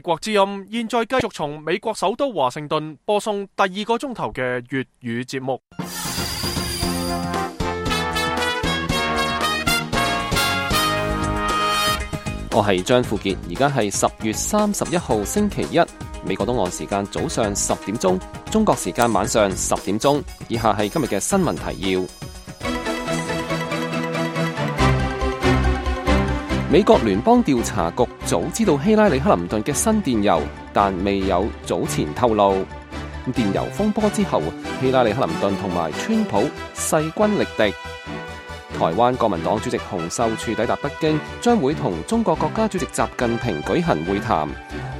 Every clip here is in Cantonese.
國之音現在繼續從美國首都華盛頓播送第2個鐘頭嘅粵語節目。我係張富傑，而家係10月31號星期一，美國東岸時間早上10點鐘，中國時間晚上10點鐘。以下係今日嘅新聞提要。美國聯邦調查局早知道希拉里克林頓嘅新電郵，但未有早前透露。電郵風波之後，希拉里克林頓同埋川普勢均力敵。台灣國民黨主席洪秀柱抵達北京，將會同中國國家主席習近平舉行會談。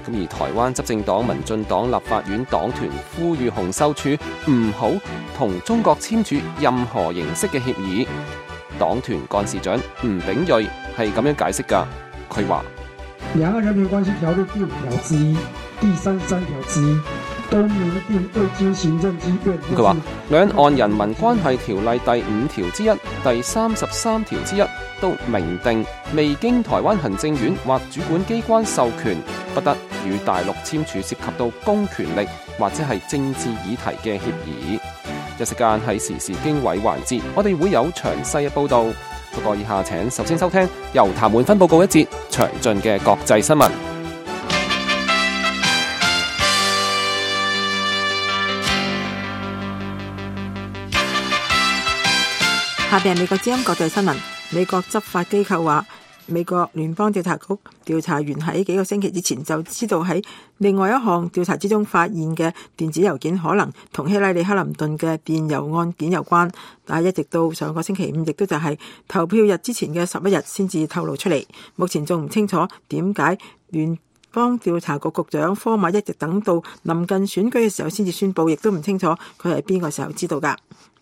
而台灣執政黨民進黨立法院黨團呼籲洪秀柱唔好同中國簽署任何形式嘅協議。黨團幹事長吳秉叡係咁樣解釋㗎，佢話：兩岸人民關係條例第5條之一、第33條之一都明定未經行政機關。佢話兩岸人民關係條例第5條之一、第33條之一都明定未經台灣行政院或主管機關授權，不得與大陸簽署涉及到公權力或者係政治議題嘅協議。一時間係時事經緯環節，我哋會有詳細嘅報導。不過以下請首先收聽由譚滿芬報告一節詳盡嘅國際新聞。下邊係美國之音國際新聞。美國執法機構話，美國聯邦調查局調查員喺幾個星期之前就知道喺另外一項調查之中發現嘅電子郵件可能同希拉里克林頓嘅電郵案件有關，但係一直到上個星期五，亦都就係投票日之前嘅11日先至透露出嚟。目前仲唔清楚點解聯邦調查局局長科馬一直等到臨近選舉嘅時候先至宣佈，亦都唔清楚佢係邊個時候知道㗎。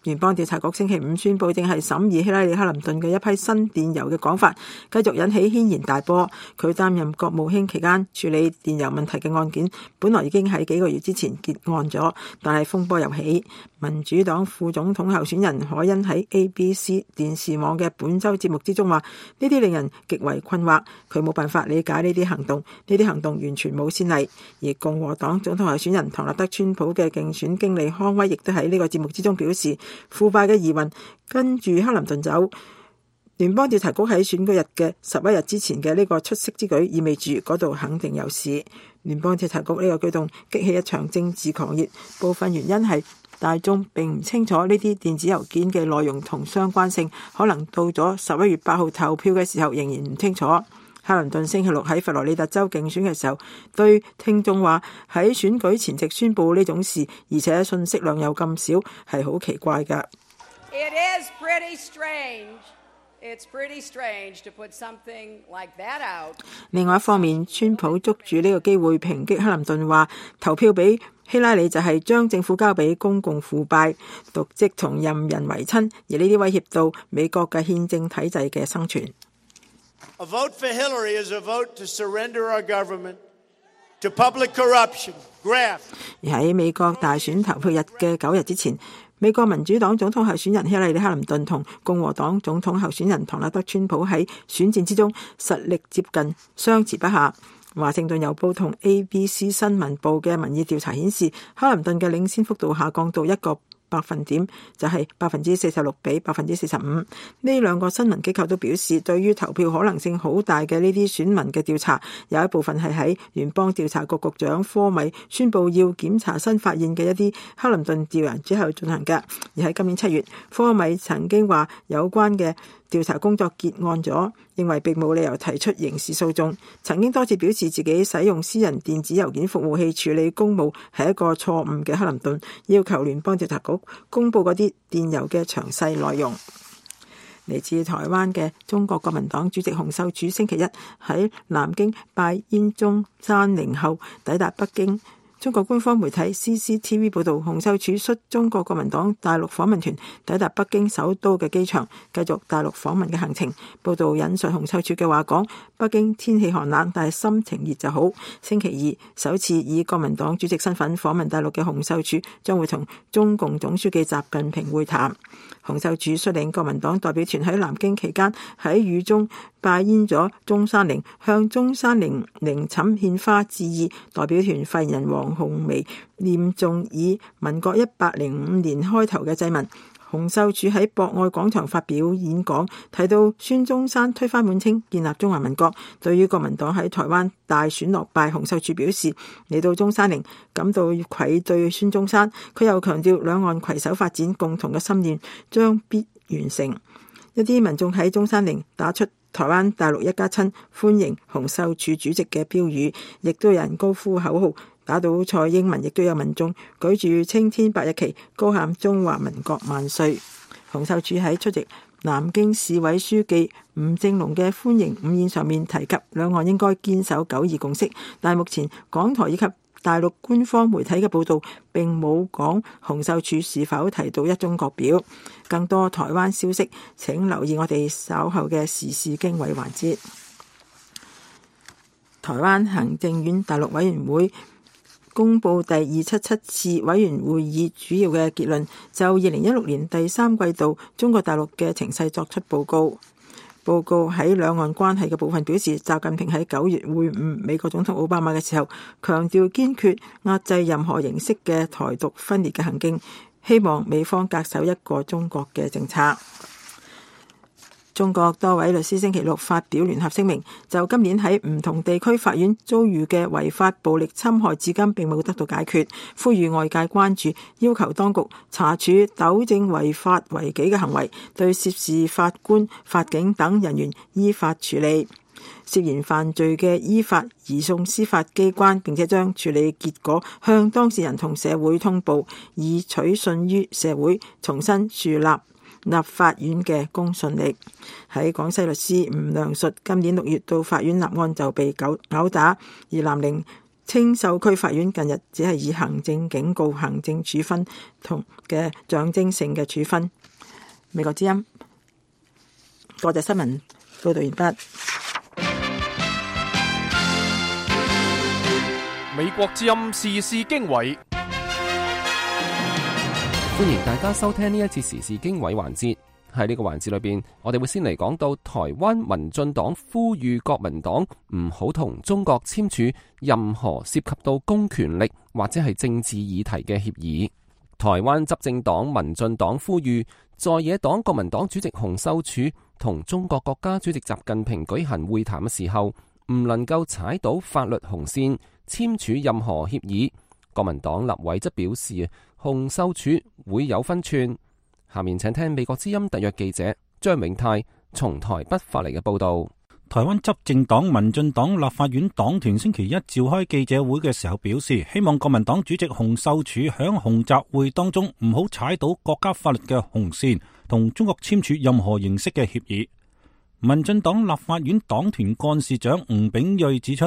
聯邦調查局星期五宣佈，正係審議希拉里克林頓嘅一批新電郵嘅講法，繼續引起軒然大波。佢擔任國務卿期間處理電郵問題嘅案件，本來已經喺幾個月之前結案咗，但係風波又起。民主黨副總統候選人凱恩喺 ABC 電視網嘅本週節目之中話：呢啲令人極為困惑，佢冇辦法理解呢啲行動，呢啲行動完全冇先例。而共和黨總統候選人唐納德川普嘅競選經理康威亦都喺呢個節目之中表示，腐敗嘅疑雲跟住克林頓走。聯邦調查局喺選舉日嘅11日之前嘅呢個出色之舉，意味住嗰度肯定有事。聯邦調查局呢個舉動激起一場政治狂熱，部分原因係大眾並唔清楚呢啲電子郵件嘅內容同相關性，可能到咗11月8號投票嘅時候仍然唔清楚。克林頓星期六喺佛羅里達州競選嘅時候，對聽眾話喺選舉前夕宣佈呢種事，而且信息量又咁少，係好奇怪㗎。It is pretty strange. It's pretty strange to put something like that out. 另外一方面，川普捉住呢個機會抨擊克林頓，話投票俾希拉里就係將政府交俾公共腐敗、瀆職同任人唯親，而呢啲威脅到美國嘅憲政體制嘅生存。A vote for Hillary is a vote to surrender our government to public corruption, graft. 而喺美國大選投票日嘅9日之前，美國民主黨總統候選人希拉里克林頓同共和黨總統候選人唐納德川普喺選戰之中實力接近，相持不下。華盛頓郵報同 ABC 新聞報嘅民意調查顯示，克林頓嘅領先幅度下降到1個百分點，就係46%比45%。呢兩個新聞機構都表示，對於投票可能性好大嘅呢啲選民嘅調查，有一部分係喺聯邦調查局局長科米宣布要檢查新發現嘅一啲克林頓調研之後進行嘅。而喺今年7月，科米曾經話有關嘅調查工作結案咗，認為並冇理由提出刑事訴訟。曾經多次表示自己使用私人電子郵件服務器處理公務係一個錯誤嘅克林頓，要求聯邦調查局公佈嗰啲電郵嘅詳細內容。嚟自台灣嘅中國國民黨主席洪秀柱星期一喺南京拜燕中山陵後抵達北京。中國官方媒體 CCTV 報道，洪秀柱率中國國民黨大陸訪問團抵達北京首都嘅機場，繼續大陸訪問嘅行程。報道引述洪秀柱嘅話講：北京天氣寒冷，但係心情熱就好。星期二首次以國民黨主席身份訪問大陸嘅洪秀柱將會同中共總書記習近平會談。洪秀柱率領國民黨代表團喺南京期間喺雨中拜谒咗中山陵，向中山陵陵寢獻花致意。代表團發言人黃紅薇念誦以民國105年開頭嘅祭文。洪秀柱喺博愛廣場發表演講，提到孫中山推翻滿清，建立中華民國。對於國民黨喺台灣大選落敗，洪秀柱表示嚟到中山陵感到愧對孫中山。佢又強調兩岸攜手發展共同嘅心願將必完成。一啲民眾喺中山陵打出台灣大陸一家親，歡迎洪秀柱主席嘅標語，亦都有人高呼口號。打倒蔡英文，亦都有民眾舉住青天白日旗，高喊中華民國萬歲。洪秀柱喺出席南京市委書記吳政隆嘅歡迎午宴上面提及，兩岸應該堅守9·2共識，但係目前港台以及大陸官方媒體嘅報導並冇講洪秀柱是否提到一中國表。更多台灣消息請留意我哋稍後嘅時事經緯環節。台灣行政院大陸委員會公布第277次委員會議主要嘅結論，就2016年第3季度中國大陸嘅情勢作出報告。報告喺兩岸關係嘅部分表示，習近平喺9月會晤美國總統奧巴馬嘅時候，強調堅決壓制任何形式嘅台獨分裂嘅行徑，希望美方恪守一個中國嘅政策。中國多位律師星期六發表聯合聲明，就今年喺唔同地區法院遭遇嘅違法暴力侵害至今並冇得到解決，呼籲外界關注，要求當局查處糾正違法違紀嘅行為，對涉事法官、法警等人員依法處理。涉嫌犯罪嘅依法移送司法機關，並且將處理結果向當事人同社會通報，以取信於社會，重新樹立法院嘅公信力。喺廣西律師吳良述今年6月到法院立案就被毆打，而南寧青秀區法院近日只係以行政警告、行政處分同嘅象徵性嘅處分。美國之音國際新聞報道完畢。美國之音時事經緯。歡迎大家收聽呢一次時事經緯環節。喺呢個環節裏邊，我哋會先嚟講到台灣民進黨呼籲國民黨唔好同中國簽署任何涉及到公權力或者係政治議題嘅協議。台灣執政黨民進黨呼籲在野黨國民黨主席洪秀柱同中國國家主席習近平舉行會談嘅時候，唔能夠踩到法律紅線，簽署任何協議。國民黨立委則表示，洪秀柱會有分寸。下面請聽美國之音特約記者張永泰從台北發嚟嘅報道。台灣執政黨民進黨立法院黨團星期一召開記者會嘅時候表示，希望國民黨主席洪秀柱響洪習會當中唔好踩到國家法律嘅紅線，同中國簽署任何形式嘅協議。民進黨立法院黨團幹事長吳秉叡指出，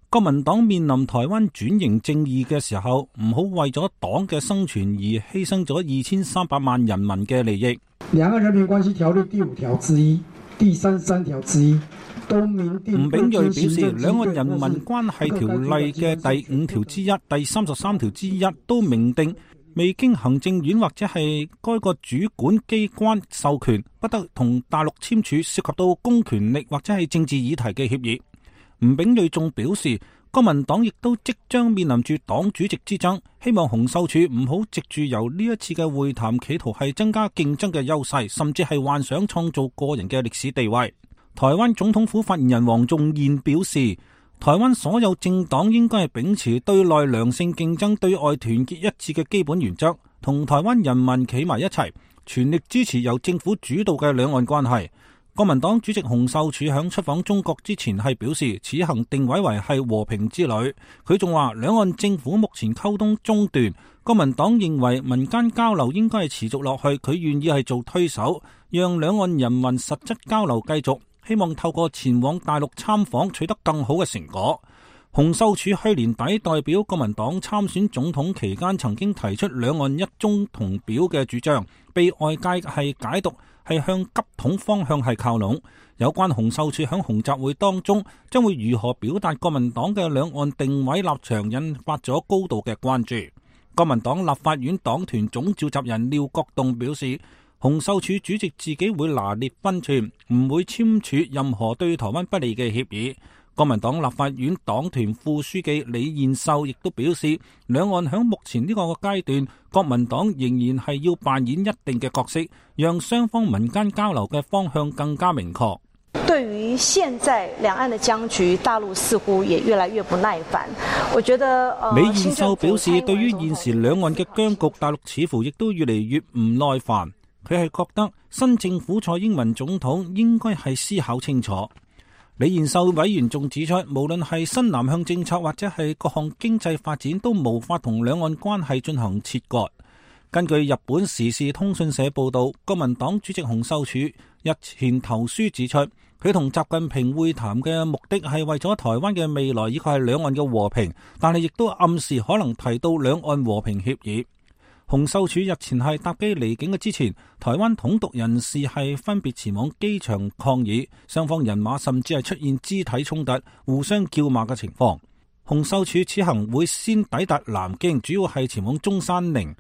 國民黨面臨台灣轉型正義嘅時候，唔好為咗黨嘅生存而犧牲咗2300萬人民嘅利益。兩岸人民關係條例第5條之一、第33條之一都明定。吳秉叡表示，兩岸人民關係條例嘅第5條之一、第33條之一都明定，未經行政院或者係該個主管機關授權，不得同大陸簽署涉及到公權力或者係政治議題嘅協議。吳秉叡仲表示，國民黨亦都即將面臨住黨主席之爭，希望洪秀柱唔好藉住由呢一次嘅會談企圖係增加競爭嘅優勢，甚至係幻想創造個人嘅歷史地位。台灣總統府發言人黃仲彥表示，台灣所有政黨應該係秉持對內良性競爭、對外團結一致嘅基本原則，同台灣人民企埋一齊，全力支持由政府主導嘅兩岸關係。國民黨主席洪秀柱響出訪中國之前係表示，此行定位為係和平之旅。佢仲話，兩岸政府目前溝通中斷，國民黨認為民間交流應該係持續落去，佢願意係做推手，讓兩岸人民實質交流繼續，希望透過前往大陸參訪取得更好嘅成果。洪秀柱去年底代表國民黨參選總統期間，曾經提出兩岸一中同表嘅主張，被外界係解讀係向急統方向係靠攏。有關洪秀柱響洪習會當中將會如何表達國民黨嘅兩岸定位立場，引發咗高度嘅關注。國民黨立法院黨團總召集人廖國棟表示，洪秀柱主席自己會拿捏分寸，唔會簽署任何對台灣不利嘅協議。國民黨立法院黨團副書記李彥秀亦都表示，兩岸響目前呢個階段，國民黨仍然係要扮演一定嘅角色，讓雙方民間交流嘅方向更加明確。對於現在兩岸的僵局，大陸似乎也越來越不耐煩。我覺得李彥秀表示，對於現時兩岸嘅僵局，大陸似乎亦都越嚟越唔耐煩。佢係覺得新政府蔡英文總統應該係思考清楚。李彥秀委員仲指出，無論係新南向政策或者係各項經濟發展，都無法同兩岸關係進行切割。根據日本時事通訊社報道，國民黨主席洪秀柱日前投書指出，佢同習近平會談嘅目的係為咗台灣嘅未來以及係兩岸嘅和平，但係亦都暗示可能提到兩岸和平協議。洪秀柱日前係搭機離境嘅之前，台灣統獨人士係分別前往機場抗議，雙方人馬甚至係出現肢體衝突、互相叫罵嘅情況。洪秀柱此行會先抵達南京，主要係前往中山陵。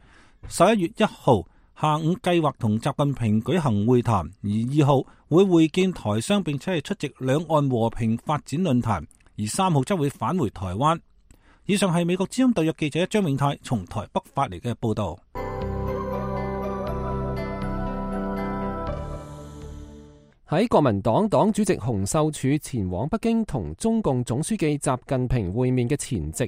11月1號下午計劃同習近平舉行會談，而2號會會見台商並且係出席兩岸和平發展論壇，而3號則會返回台灣。以上係美國之音特約記者張永泰從台北發嚟嘅報道。喺國民黨黨主席洪秀柱前往北京同中共總書記習近平會面嘅前夕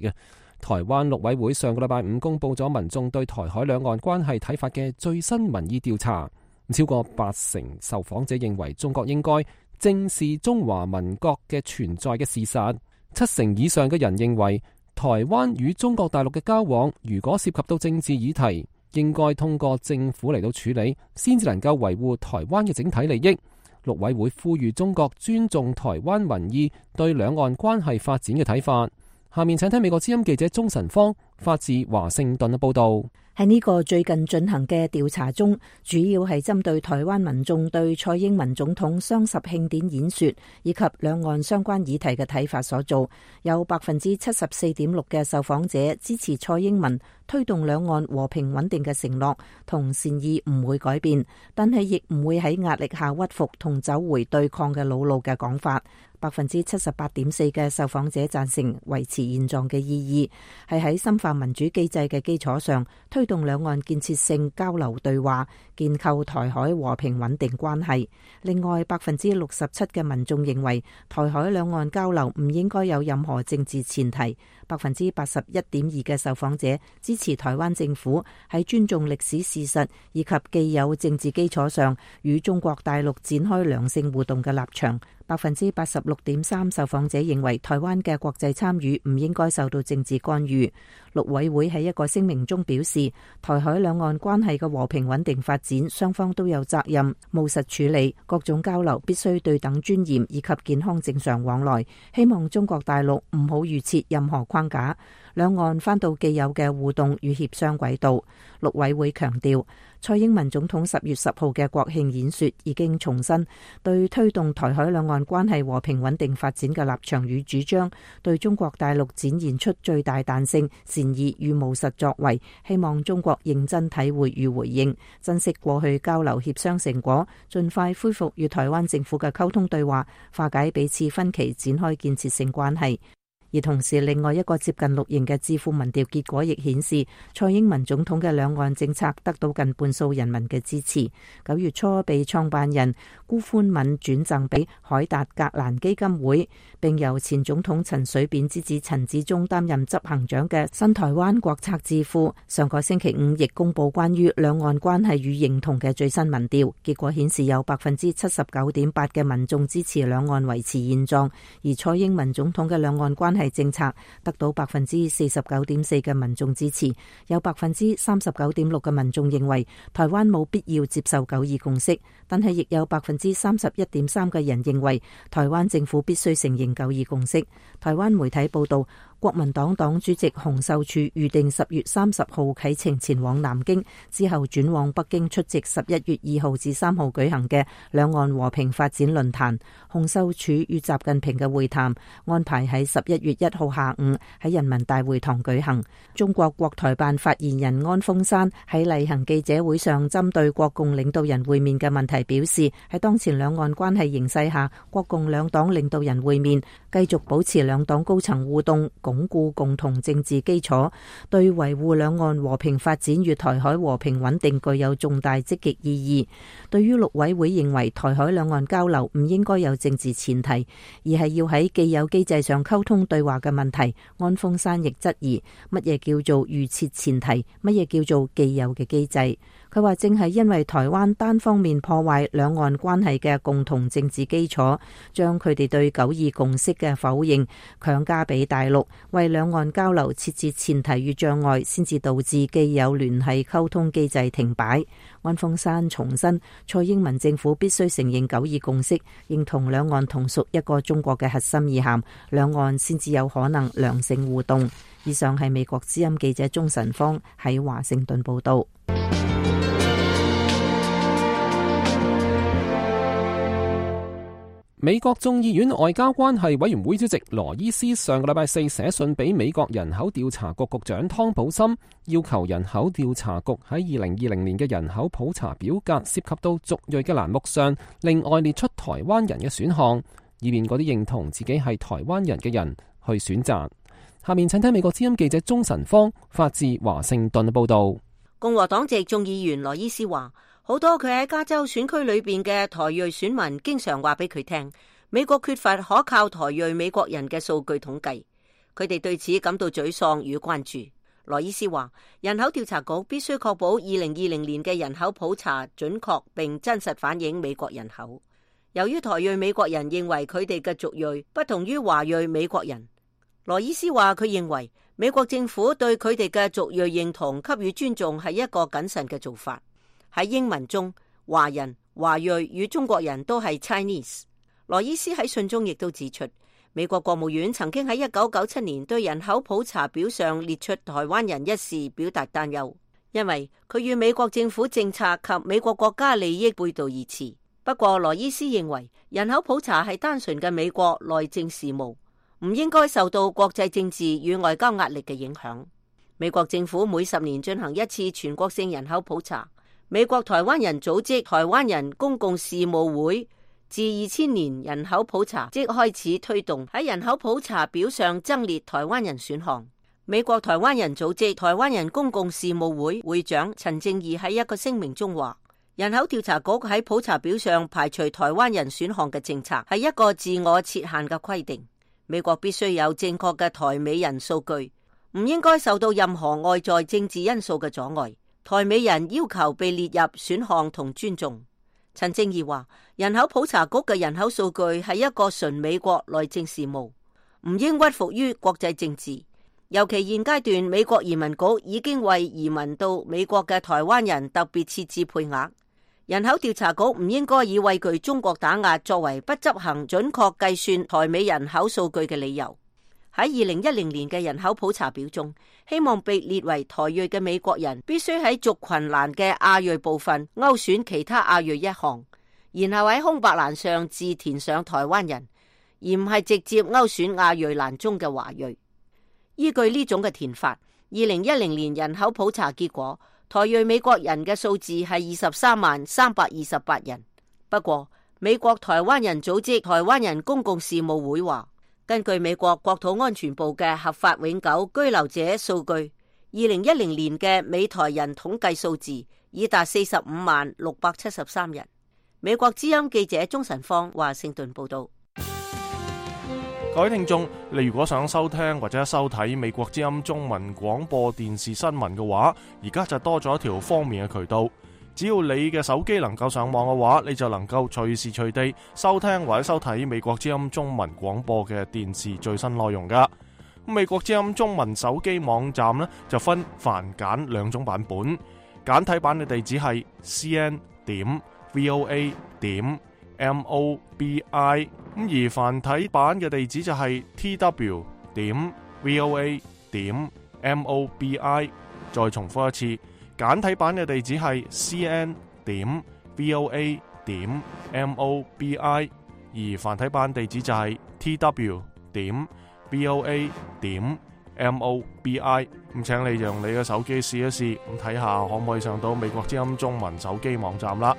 台灣陸委會上個禮拜5公布咗民眾對台海兩岸關係睇法嘅最新民意調查，超過80%受訪者認為中國應該正視中華民國嘅存在嘅事實，70%以上嘅人認為台灣與中國大陸嘅交往，如果涉及到政治議題，應該通過政府嚟到處理，先至能夠維護台灣嘅整體利益。陸委會呼籲中國尊重台灣民意對兩岸關係發展嘅睇法。下面請聽美國之音記者鍾晨芳發自華盛頓嘅報道。喺呢個最近進行嘅調查中，主要係針對台灣民眾對蔡英文總統雙十慶典演說以及兩岸相關議題嘅睇法所做。有 74.6% 嘅受訪者支持蔡英文推動兩岸和平穩定嘅承諾同善意唔會改變，但係亦唔會喺壓力下屈服同走回對抗嘅老路嘅講法。78.4% 嘅受訪者贊成維持現狀嘅意義，係喺深化民主機制嘅基礎上推動兩岸建設性交流對話，建構台海和平穩定關係。另外，67%嘅民眾認為台海兩岸交流唔應該有任何政治前提。81.2% 嘅受訪者支持台灣政府喺尊重歷史事實以及既有政治基礎上與中國大陸展開良性互動嘅立場。86.3% 受訪者認為台灣嘅國際參與唔應該受到政治干預。陸委會喺一個聲明中表示，台海兩岸關係嘅和平穩定發展，雙方都有責任務實處理，各種交流必須對等尊嚴以及健康正常往來。希望中國大陸唔好預設任何框架，兩岸返到既有嘅互動與協商軌道。陸委會強調，蔡英文總統10月10號嘅國慶演說已經重申對推動台海兩岸關係和平穩定發展嘅立場與主張，對中國大陸展現出最大彈性、善意與務實作為，希望中國認真體會與回應，珍惜過去交流協商成果，盡快恢復與台灣政府嘅溝通對話，化解彼此分歧，展開建設性關係。而同時，另外一個接近綠營嘅智庫民調結果亦顯示，蔡英文總統嘅兩岸政策得到近半數人民嘅支持。9月初被創辦人辜寬敏轉贈俾凱達格蘭基金會，並由前總統陳水扁之子陳致中擔任執行長嘅新台灣國策智庫，上個星期5亦公布關於兩岸關係與認同嘅最新民調，結果顯示有 79.8% 嘅民眾支持兩岸維持現狀，而蔡英文總統嘅兩岸關係政策得到 49.4% 嘅民眾支持，有 39.6% 嘅民眾認為台灣冇必要接受9·2共識，但係亦有 31.3% 嘅人認為台灣政府必須承認9·2共識。台灣媒體報道，國民黨黨主席洪秀柱預定10月30號啟程前往南京，之後轉往北京出席11月2號至3號舉行嘅兩岸和平發展論壇。洪秀柱與習近平嘅會談安排喺11月1號下午喺人民大會堂舉行。中國國台辦發言人安峰山喺例行記者會上針對國共領導人會面嘅問題表示，喺當前兩岸關係形勢下，國共兩黨領導人會面，繼續保持兩黨高層互動，鞏固共同政治基礎，對維護兩岸和平發展與台海和平穩定具有重大積極意義。對於陸委會認為台海兩岸交流唔應該有政治前提，而係要喺既有機制上溝通對話嘅問題，安峰山亦質疑乜嘢叫做預設前提，乜嘢叫做既有嘅機制。佢話正係因為台灣單方面破壞兩岸關係嘅共同政治基礎，將佢哋對9·2共識嘅否認強加俾大陸，為兩岸交流設置前提與障礙，先至導致既有聯繫溝通機制停擺。安峰山重申，蔡英文政府必須承認9·2共識，認同兩岸同屬一個中國嘅核心意涵，兩岸先至有可能良性互動。以上係美國之音記者鍾晨芳喺華盛頓報道。美國眾議院外交關係委員會主席羅伊斯上個禮拜4寫信俾美國人口調查局局長湯普森，要求人口調查局喺2020年嘅人口普查表格涉及到族裔嘅欄目上，另外列出台灣人嘅選項，以便嗰啲認同自己係台灣人嘅人去選擇。下面請聽美國之音記者鍾晨芳發自華盛頓嘅報道。共和黨籍眾議員羅伊斯話，好多佢喺加州選區裏邊嘅台裔選民經常話俾佢聽，美國缺乏可靠台裔美國人嘅數據統計，佢哋對此感到沮喪與關注。羅伊斯話，人口調查局必須確保2020年嘅人口普查準確並真實反映美國人口。由於台裔美國人認為佢哋嘅族裔不同於華裔美國人，羅伊斯話佢認為美國政府對佢哋嘅族裔認同給予尊重係一個謹慎嘅做法。喺英文中，華人、華裔與中國人都係 Chinese。羅伊斯喺信中亦都指出，美國國務院曾經喺1997年對人口普查表上列出台灣人一事表達擔憂，因為佢與美國政府政策及美國國家利益背道而馳。不過，羅伊斯認為人口普查係單純嘅美國內政事務，唔應該受到國際政治與外交壓力嘅影響。美國政府每10年進行一次全國性人口普查。美國台灣人組織台灣人公共事務會自2000年人口普查即開始推動喺人口普查表上增列台灣人選項。美國台灣人組織台灣人公共事務會會長陳正義喺一個聲明中話，人口調查局喺普查表上排除台灣人選項嘅政策係一個自我設限嘅規定。美國必須有正確嘅台美人數據，唔應該受到任何外在政治因素嘅阻礙。台美人要求被列入選項同尊重。陳正義話，人口普查局嘅人口數據係一個純美國內政事務，唔應屈服於國際政治。尤其現階段，美國移民局已經為移民到美國嘅台灣人特別設置配額。人口調查局唔應該以畏懼中國打壓作為不執行準確計算台美人口數據嘅理由。喺2010年嘅人口普查表中，希望被列為台裔嘅美國人必須喺族群欄嘅亞裔部分勾選其他亞裔一項，然後喺空白欄上自填上台灣人，而唔係直接勾選亞裔欄中嘅華裔。依據呢種嘅填法，2010年人口普查結果，台裔美國人嘅數字係23,328人。不過，美國台灣人組織台灣人公共事務會話，根據美國國土安全部嘅合法永久居留者數據，2010年嘅美台人統計數字已達45,673人。美國之音記者鍾晨芳華盛頓報道。各位聽眾，你如果想收聽或者收睇美國之音中文廣播電視新聞嘅話，而家就多咗一條方便嘅渠道。只要你嘅手機能夠上網嘅話，你就能夠隨時隨地收聽或者收睇美國之音中文廣播嘅電視最新內容噶。美國之音中文手機網站呢，就分繁簡兩種版本，簡體版嘅地址係 cn.voa.mobi， 而繁體版嘅地址就係 tw.rti.org。voa.mobi。再重複一次，簡體版嘅地址係 cn.voa.mobi， 而繁體版地址就係 tw.voa.mobi。咁請你用你嘅手機試一試，咁睇下可唔可以上到美國之音中文手機網站啦。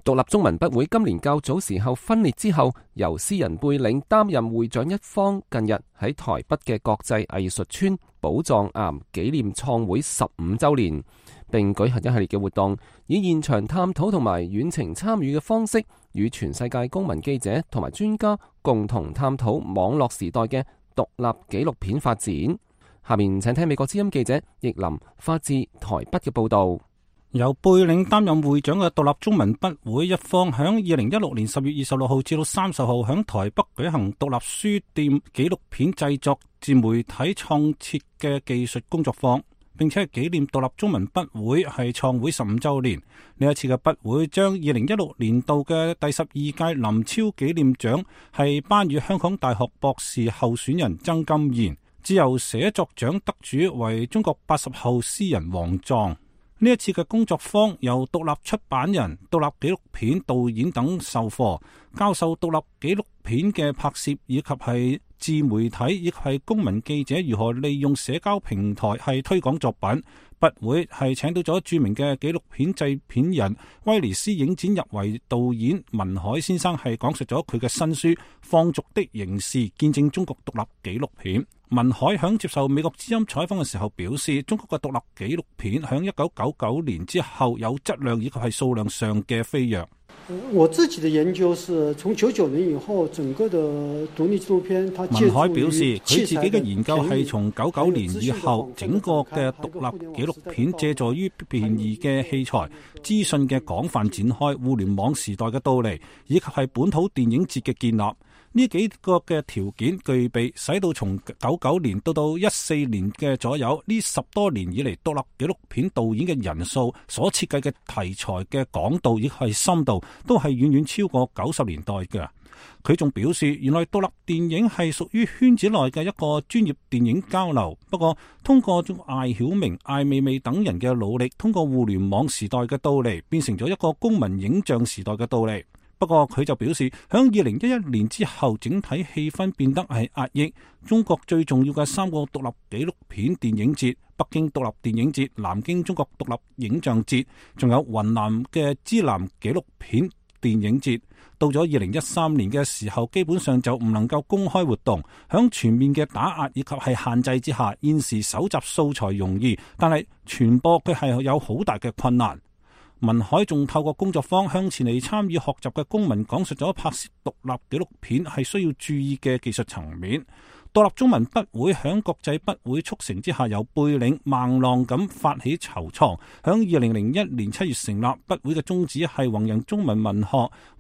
獨立中文筆會今年較早時候分裂之後，由詩人貝嶺擔任會長一方，近日喺台北嘅國際藝術村寶藏岩紀念創會15週年，並舉行一系列嘅活動，以現場探討同埋遠程參與嘅方式，與全世界公民記者同埋專家共同探討網絡時代嘅獨立紀錄片發展。下面請聽美國之音記者易林發自台北嘅報道。由貝嶺擔任會長嘅獨立中文筆會一方，響2016年10月26號至到30號響台北舉行獨立書店紀錄片製作自媒體創設嘅技術工作坊，並且係紀念獨立中文筆會係創會15週年。呢一次嘅筆會將2016年度嘅第12屆林超紀念獎係頒予香港大學博士候選人曾金賢，自由寫作獎得主為中國80後詩人王壯。呢一次嘅工作坊由獨立出版人、獨立紀錄片導演等授課，教授獨立紀錄片嘅拍攝以及係自媒體以及係公民記者如何利用社交平台係推廣作品。筆會係請到咗著名嘅紀錄片製片人威尼斯影展入圍導演文海先生，係講述咗佢嘅新書《放逐的刑事：見證中國獨立紀錄片》。文海響接受美國之音採訪嘅時候表示，中國嘅獨立紀錄片響1999年之後有質量以及係數量上嘅飛躍。我自己的研究是從99年以後，整個的獨立紀錄片，文海表示佢自己嘅研究係從99年以後，整個嘅獨立紀錄片借助於便宜嘅器材、資訊嘅廣泛展開、互聯網時代嘅到嚟，以及係本土電影節嘅建立。呢幾個嘅條件具備，使到從99年到14年嘅左右，呢10多年以嚟，獨立紀錄片導演嘅人數、所設計嘅題材嘅廣度亦係深度，都係遠遠超過90年代嘅。佢仲表示，原來獨立電影係屬於圈子內嘅一個專業電影交流。不過，通過艾曉明、艾未未等人嘅努力，通過互聯網時代嘅到嚟，變成咗一個公民影像時代嘅到嚟。不過佢就表示，響2011年之後，整體氣氛變得係壓抑。中國最重要嘅3個獨立紀錄片電影節，北京獨立電影節、南京中國獨立影像節，仲有雲南嘅支南紀錄片電影節，到咗2013年嘅時候，基本上就唔能夠公開活動。響全面嘅打壓以及係限制之下，現時搜集素材容易，但係傳播佢係有好大嘅困難。文海仲透過工作坊向前嚟參與學習嘅公民講述咗拍攝獨立紀錄片係需要注意嘅技術層面。獨立中文筆會響國際筆會促成之下，由貝嶺孟浪咁發起籌創，響2001年7月成立。筆會嘅宗旨係弘揚中文文學，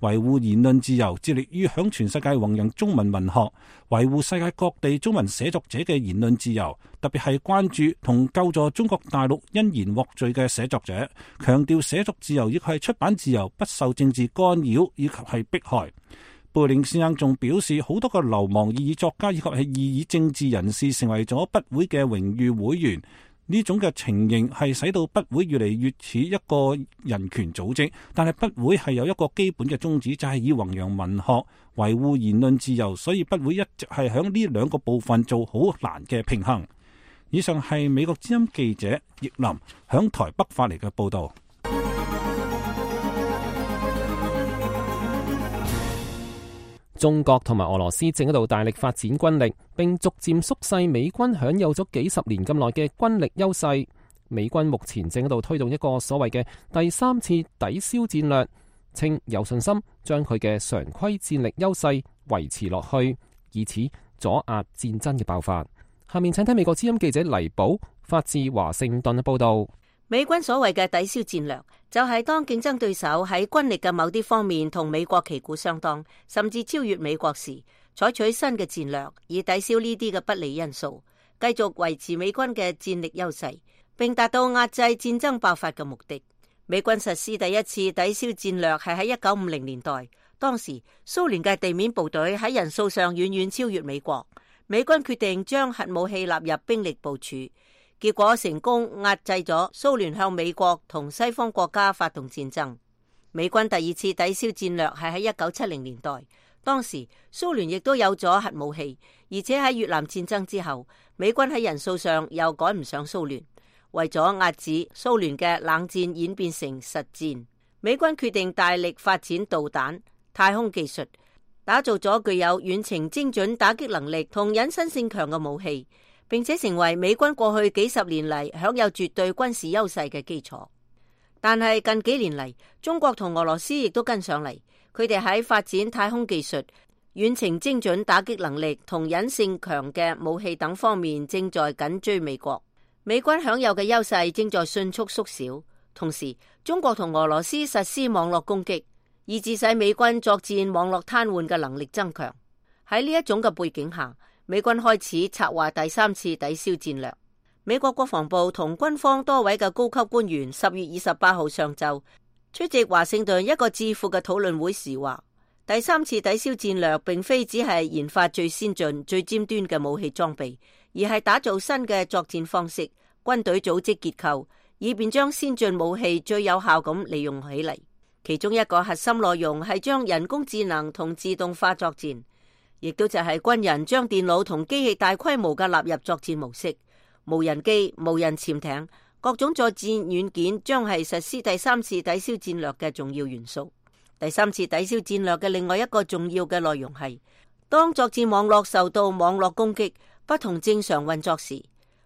維護言論自由，致力於響全世界弘揚中文文學，維護世界各地中文寫作者嘅言論自由，特別係關注同救助中國大陸因言獲罪嘅寫作者，強調寫作自由亦係出版自由，不受政治干擾以及係迫害。貝嶺先生仲表示，好多個流亡異議作家以及係異議政治人士成為咗筆會嘅榮譽會員，呢種嘅情形係使到筆會越嚟越似一個人權組織。但係筆會係有一個基本嘅宗旨，就係以弘揚文學、維護言論自由，所以筆會一直係響呢兩個部分做好難嘅平衡。以上係美國之音記者易林響台北發嚟嘅報道。中國同埋俄羅斯正喺度大力發展軍力，並逐漸縮細美軍享有咗幾十年咁耐嘅軍力優勢。美軍目前正喺度推動一個所謂嘅第3次抵消戰略，稱有信心將佢嘅常規戰力優勢維持落去，以此阻壓戰爭嘅爆發。下面請睇美國之音記者黎寶發自華盛頓嘅報道。美軍所謂嘅抵消戰略，就係當競爭對手喺軍力嘅某啲方面同美國旗鼓相當，甚至超越美國時，採取新嘅戰略，以抵消呢啲嘅不利因素，繼續維持美軍嘅戰力優勢，並達到壓制戰爭爆發嘅目的。美軍實施第一次抵消戰略係喺1950年代，當時蘇聯嘅地面部隊喺人數上遠遠超越美國。美軍決定將核武器納入兵力部署，結果成功壓制咗蘇聯向美國同西方國家發動戰爭。美軍第二次抵消戰略係喺1970年代，當時蘇聯亦都有咗核武器，而且喺越南戰爭之後，美軍喺人數上又趕唔上蘇聯。為咗遏止蘇聯嘅冷戰演變成實戰，美軍決定大力發展導彈、太空技術，打造咗具有遠程精準打擊能力同隱身性強嘅武器，並且成為美軍過去幾十年嚟享有絕對軍事優勢嘅基礎。但係近幾年嚟，中國同俄羅斯亦都跟上嚟，佢哋喺發展太空技術、遠程精準打擊能力同隱性強嘅武器等方面正在緊追美國。美軍享有嘅優勢正在迅速縮小，同時中國同俄羅斯實施網絡攻擊，以致使美軍作戰網絡癱瘓嘅能力增強。喺呢一種嘅背景下，美軍開始策劃第三次抵消戰略。美國國防部同軍方多位嘅高級官員10月28號上晝出席華盛頓一個智庫嘅討論會時話，第三次抵消戰略並非只係研發最先進、最尖端嘅武器裝備，而係打造新嘅作戰方式、軍隊組織結構，以便將先進武器最有效咁利用起嚟。其中一個核心內容係將人工智能同自動化作戰，亦都就係軍人將電腦同機器大規模嘅納入作戰模式。無人機、無人潛艇、各種作戰軟件將係實施第三次抵消戰略嘅重要元素。第三次抵消戰略嘅另外一個重要嘅內容係，當作戰網絡受到網絡攻擊不同正常運作時，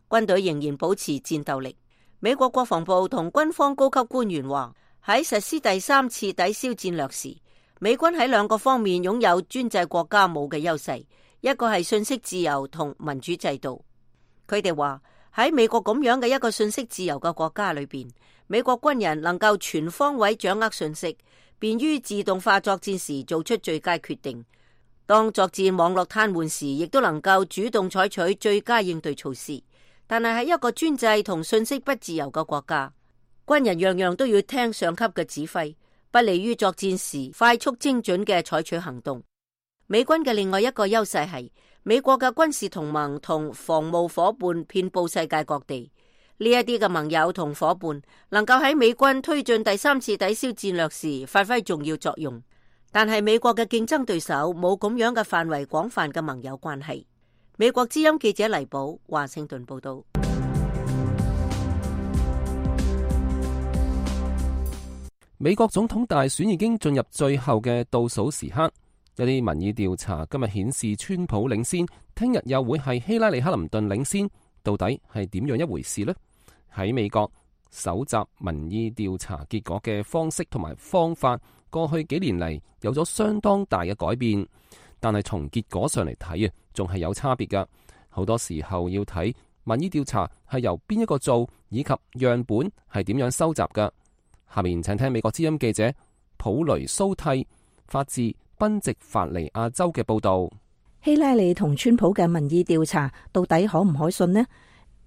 軍隊仍然保持戰鬥力。美國國防部同軍方高級官員話，喺實施第三次抵消戰略時，美軍喺兩個方面擁有專制國家冇嘅優勢，一個係信息自由同民主制度。佢哋話，喺美國咁樣嘅一個信息自由嘅國家裏邊，美國軍人能夠全方位掌握信息，便於自動化作戰時做出最佳決定。當作戰網絡癱瘓時，亦都能夠主動採取最佳應對措施。但係喺一個專制同信息不自由嘅國家，軍人樣樣都要聽上級嘅指揮，不利於作戰時快速精準嘅採取行動。美軍嘅另外一個優勢係，美國嘅軍事同盟同防務夥伴遍佈世界各地，呢一啲嘅盟友同夥伴能夠喺美軍推進第三次抵消戰略時發揮重要作用。但係美國嘅競爭對手冇咁樣嘅範圍廣泛嘅盟友關係。美國之音記者黎寶華盛頓報道。美國總統大選已經進入最後嘅倒數時刻。有啲民意調查今日顯示川普領先，聽日又會係希拉里克林頓領先，到底係點樣一回事呢？喺美國搜集民意調查結果嘅方式同埋方法，過去幾年嚟有咗相當大嘅改變，但係從結果上嚟睇啊，仲係有差別噶。好多時候要睇民意調查係由邊一個做，以及樣本係點樣收集噶。下面請聽美國之音記者普雷蘇蒂發自賓夕法尼亞州嘅報道。希拉里同川普嘅民意調查到底可唔可信呢？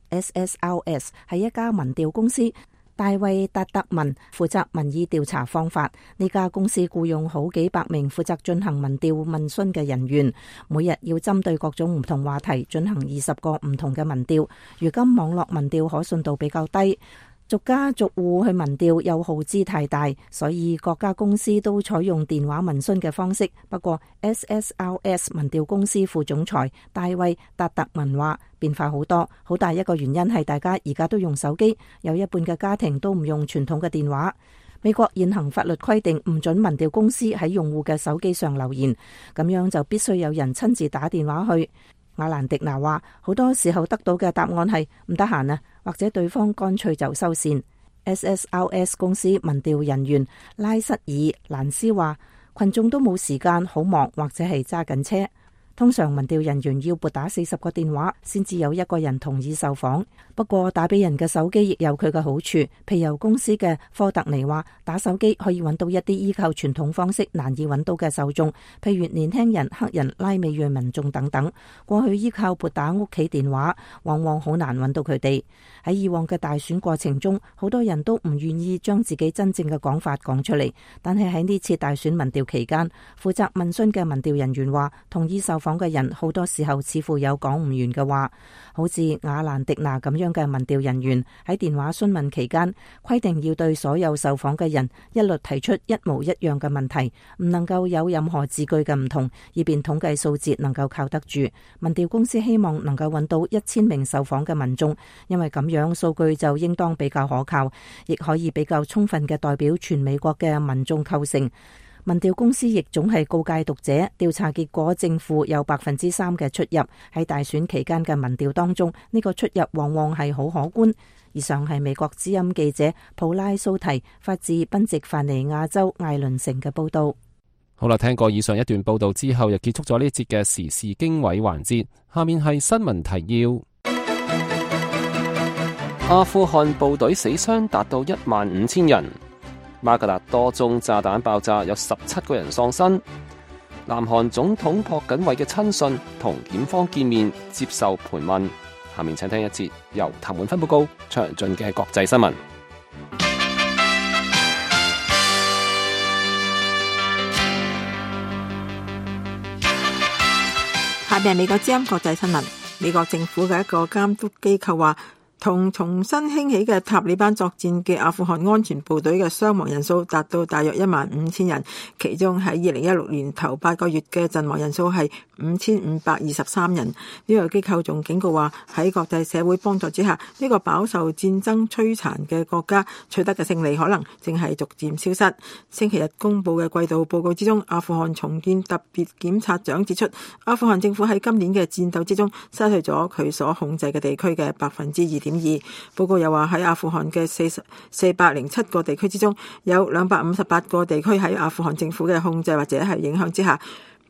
SSRS 係一家民調公司，大衛達特文負責民意調查方法。呢家公司僱用好幾百名負責進行民調問詢嘅人員，每日要針對各種唔同話題進行20個唔同嘅民調。如今網絡民調可信度比較低，逐家逐戶去民調又耗資太大，所以各家公司都採用電話問詢嘅方式。不過 SSRS 民調公司副總裁大衛達特文話，變化好多，好大一個原因係大家而家都用手機，有一半嘅家庭都唔用傳統嘅電話。美國現行法律規定唔准民調公司喺用戶嘅手機上留言，咁樣就必須有人親自打電話去。亞蘭迪娜話，好多時候得到嘅答案係唔得閒啊，或者對方乾脆就收線。SSRS 公司民調人員拉塞爾蘭斯話，群眾都冇時間，好忙或者係揸緊車。通常民調人員要撥打40個電話先至有一個人同意受訪。不過打俾人嘅手機亦有佢嘅好處。皮尤公司嘅科特尼話，打手機可以揾到一啲依靠傳統方式難以揾到嘅受眾，譬如年輕人、黑人、拉美裔民眾等等。過去依靠撥打屋企電話，往往好難揾到佢哋。喺以往嘅大選過程中，好多人都唔願意將自己真正嘅講法講出嚟。但係喺呢次大選民調期間，負責問詢嘅民調人員話，同意受訪訪嘅人好多時候似乎有講唔完嘅話，好似亞蘭迪娜咁樣嘅民調人員喺電話詢問期間規定要對所有受訪嘅人一律提出一模一樣嘅問題，唔能夠有任何字句嘅唔同，以便統計數字能夠靠得住。民調公司希望能夠揾到1000名受訪嘅民眾，因為咁樣數據就應當比較可靠，亦可以比較充分嘅代表全美國嘅民眾構成。民調公司亦總係告誡讀者，調查結果正負有3%嘅出入。喺大選期間嘅民調當中，呢個出入往往係好可觀。以上係美國之音記者普拉蘇提發自賓夕凡尼亞州艾倫城嘅報道。好啦，聽過以上一段報道之後，又結束咗呢一節嘅時事經緯環節。下面係新聞提要。阿富汗部隊死傷達到15000人。馬格達多宗炸彈爆炸，有17個人喪生。南韓總統朴槿惠嘅親信同檢方見面接受盤問。下面請聽一節由譚滿芬報告詳盡嘅國際新聞。下面係美國之音國際新聞。美國政府嘅一個監督機構話，同重新興起嘅塔利班作戰嘅阿富汗安全部隊嘅傷亡人數達到大約15000人，其中喺2016年頭8個月嘅陣亡人數係5523人。呢個機構仲警告話，喺國際社會幫助之下，呢個飽受戰爭摧殘嘅國家取得嘅勝利可能正係逐漸消失。星期日公布嘅季度報告之中，阿富汗重建特別檢察長指出，阿富汗政府喺今年嘅戰鬥之中失去咗佢所控制嘅地區嘅2.2%。報告又話，喺阿富汗嘅407個地區之中，有258個地區喺阿富汗政府嘅控制或者係影響之下。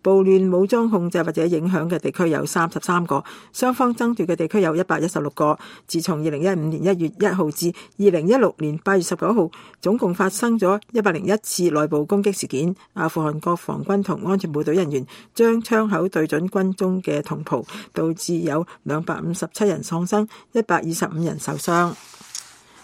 暴亂武裝控制或者影響嘅地區有33個，雙方爭奪嘅地區有116個。自從2015年1月1號至2016年8月19號，總共發生咗101次內部攻擊事件。阿富汗國防軍同安全部隊人員將槍口對準軍中嘅同袍，導致有257人喪生，125人受傷。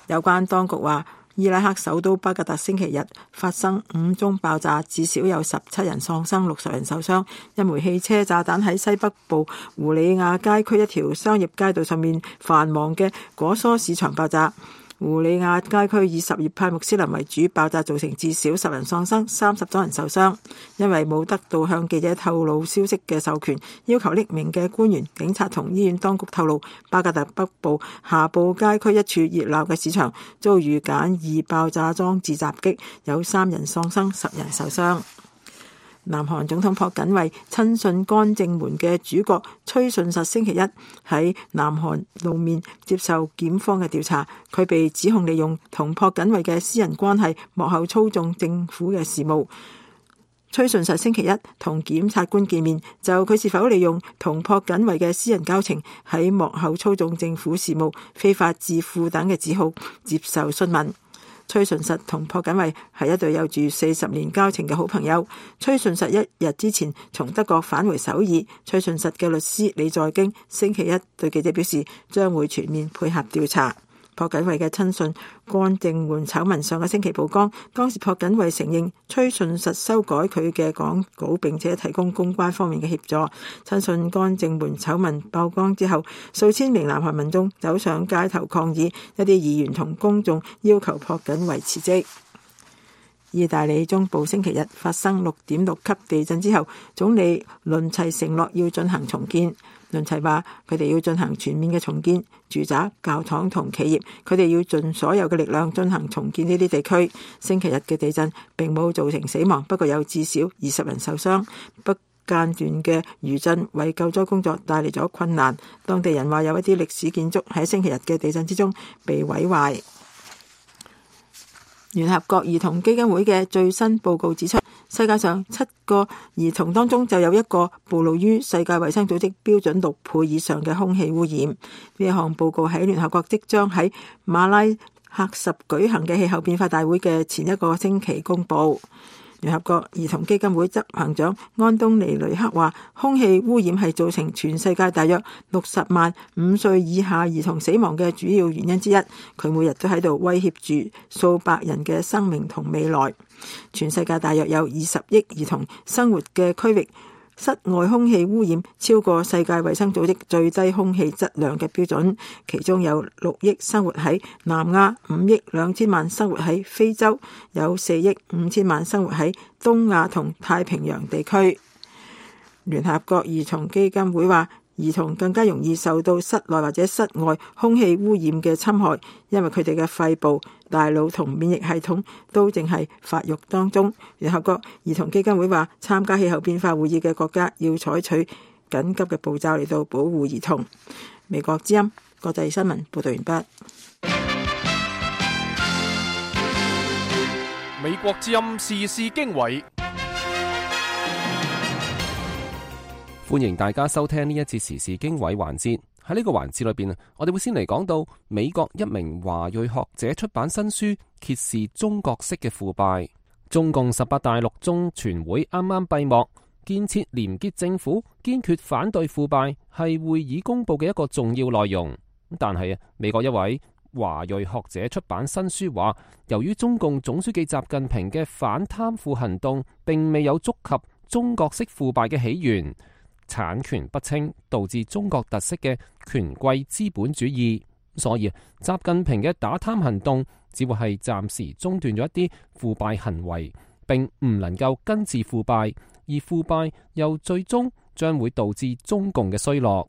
有關當局話，伊拉克首都巴格達星期日發生5宗爆炸，至少有17人喪生，60人受傷。一枚汽車炸彈喺西北部胡里亞街區一條商業街道上面繁忙嘅果蔬市場爆炸。胡里亞街區以什葉派穆斯林為主，爆炸造成至少10人喪生，30多人受傷。因為冇得到向記者透露消息嘅授權，要求匿名嘅官員、警察同醫院當局透露，巴格達北部夏布街區一處熱鬧嘅市場遭遇簡易爆炸裝置襲擊，有3人喪生，10人受傷。南韓總統朴槿惠親信干政門嘅主角崔順實星期一喺南韓露面接受檢方嘅調查，佢被指控利用同朴槿惠嘅私人關係幕後操縱政府嘅事務。崔順實星期一同檢察官見面，就佢是否利用同朴槿惠嘅私人交情喺幕後操縱政府事務、非法致富等嘅指控接受詢問。崔順實同朴槿惠係一對有住40年交情嘅好朋友。崔順實1日之前從德國返回首爾，崔順實嘅律師李在京星期一對記者表示，將會全面配合調查。朴槿惠嘅親信干政門醜聞上個星期曝光，當時朴槿惠承認崔順實修改佢嘅講稿，並且提供公關方面嘅協助。親信干政門醜聞曝光之後，數千名南韓民眾走上街頭抗議，一啲議員同公眾要求朴槿惠辭職。意大利中部星期日發生6.6級地震之後，總理倫齊承諾要進行重建。倫齊話佢哋要進行全面嘅重建，住宅、教堂同企業，佢哋要盡所有嘅力量進行重建呢啲地區。星期日嘅地震並冇造成死亡，不過有至少20人受傷。不間斷嘅餘震為救災工作帶嚟咗困難。當地人話有一啲歷史建築喺星期日嘅地震之中被毀壞。聯合國兒童基金會嘅最新報告指出，世界上7個兒童當中就有1個暴露於世界衛生組織標準6倍以上嘅空氣污染。呢一項報告喺聯合國即將喺馬拉喀什舉行嘅氣候變化大會嘅前一個星期公佈。聯合國兒童基金會執行長安東尼雷克話，空氣污染係造成全世界大約60萬5歲以下兒童死亡嘅主要原因之一。佢每日都喺度威脅住數百人嘅生命同未來。全世界大約有20億兒童生活嘅區域室外空氣污染超過世界衛生組織最低空氣質量嘅標準，其中有6億生活喺南亞，5億2千萬生活喺非洲，有4億5千萬生活喺東亞同太平洋地區。聯合國兒童基金會話，兒童更加容易受到室內或者室外空氣污染嘅侵害，因為佢哋嘅肺部、大腦同免疫系統都正係發育當中。聯合國兒童基金會話，參加氣候變化會議嘅國家要採取緊急嘅步驟嚟到保護兒童。美國之音國際新聞報道完畢。美國之音時事經緯，歡迎大家收聽呢一節時事經緯環節。喺呢個環節裏邊，我哋會先嚟講到美國一名華裔學者出版新書，揭示中國式嘅腐敗。中共18大六中全會啱啱閉幕，建設廉潔政府，堅決反對腐敗係會議公佈嘅一個重要內容。但係美國一位華裔學者出版新書話，由於中共總書記習近平嘅反貪腐行動並未有觸及中國式腐敗嘅起源，產權不清，導致中國特色嘅權貴資本主義，所以習近平嘅打貪行動只會係暫時中斷咗一啲腐敗行為，並唔能夠根治腐敗，而腐敗又最終將會導致中共嘅衰落。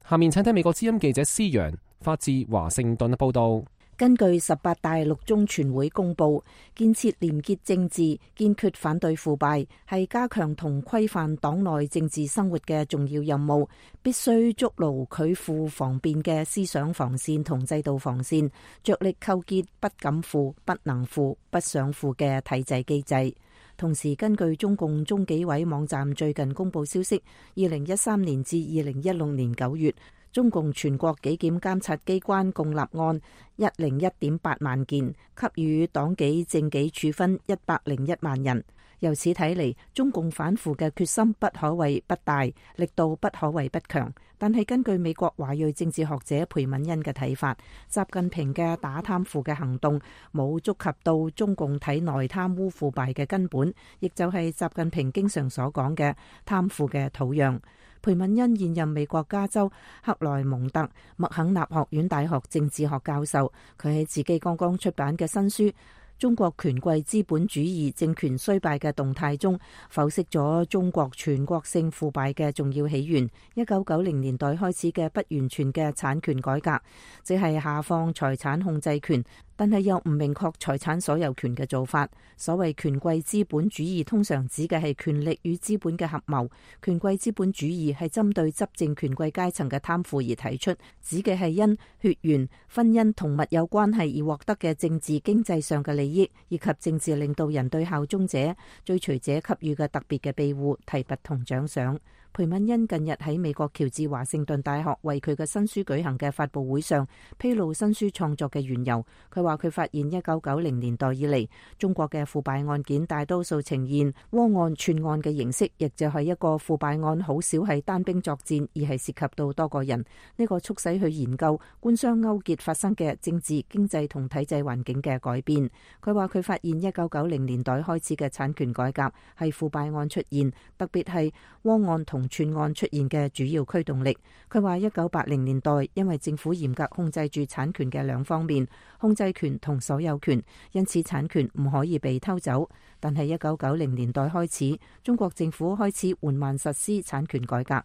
下面請聽美國之音記者施陽發自華盛頓嘅報道。根據18大六中全會公佈，建設廉潔政治，堅決反對腐敗，係加強同規範黨內政治生活嘅重要任務，必須築牢拒腐防變嘅思想防線同制度防線，着力構建不敢腐、不能腐、不想腐嘅體制機制。同時，根據中共中紀委網站最近公佈消息，2013年至2016年9月，中共全國紀檢監察機關共立案101.8萬件，給予黨紀政紀處分101萬人。由此睇嚟，中共反腐嘅決心不可謂不大，力度不可謂不強。但係根據美國華裔政治學者裴敏恩嘅睇法，習近平嘅打貪腐嘅行動冇觸及到中共體內貪污腐敗嘅根本，亦就係習近平經常所講嘅貪腐嘅土壤。裴敏恩現任美國加州克萊蒙特麥肯納學院大學政治學教授，佢喺自己剛剛出版嘅新書《中國權貴資本主義政權衰敗嘅動態》中，剖析咗中國全國性腐敗嘅重要起源。1990年代開始嘅不完全嘅產權改革，即係下放財產控制權，但係又唔明確財產所有權嘅做法。所謂權貴資本主義通常指嘅係權力與資本嘅合謀。權貴資本主義係針對執政權貴階層嘅貪腐而提出，指嘅係因血緣、婚姻同密友關係而獲得嘅政治經濟上嘅利益，以及政治領導人對效忠者、追隨者給予嘅特別嘅庇護、提拔同獎賞。裴敏恩近日喺美國喬治華盛頓大學為佢嘅新書舉行嘅發佈會上，披露新書創作嘅緣由。佢話佢發現1990年代以嚟，中國嘅腐敗案件大多數呈現窩案串案嘅形式，亦就係一個腐敗案好少係單兵作戰，而係涉及到多個人。呢個促使佢研究官商勾結發生嘅政治、經濟同體制環境嘅改變。佢話佢發現1990年代開始嘅產權改革係腐敗案出現，特別係窩案同串案出現嘅主要驅動力。佢話1980年代因為政府嚴格控制住產權嘅兩方面，控制權同所有權，因此產權唔可以被偷走。但係1990年代開始，中國政府開始緩慢實施產權改革。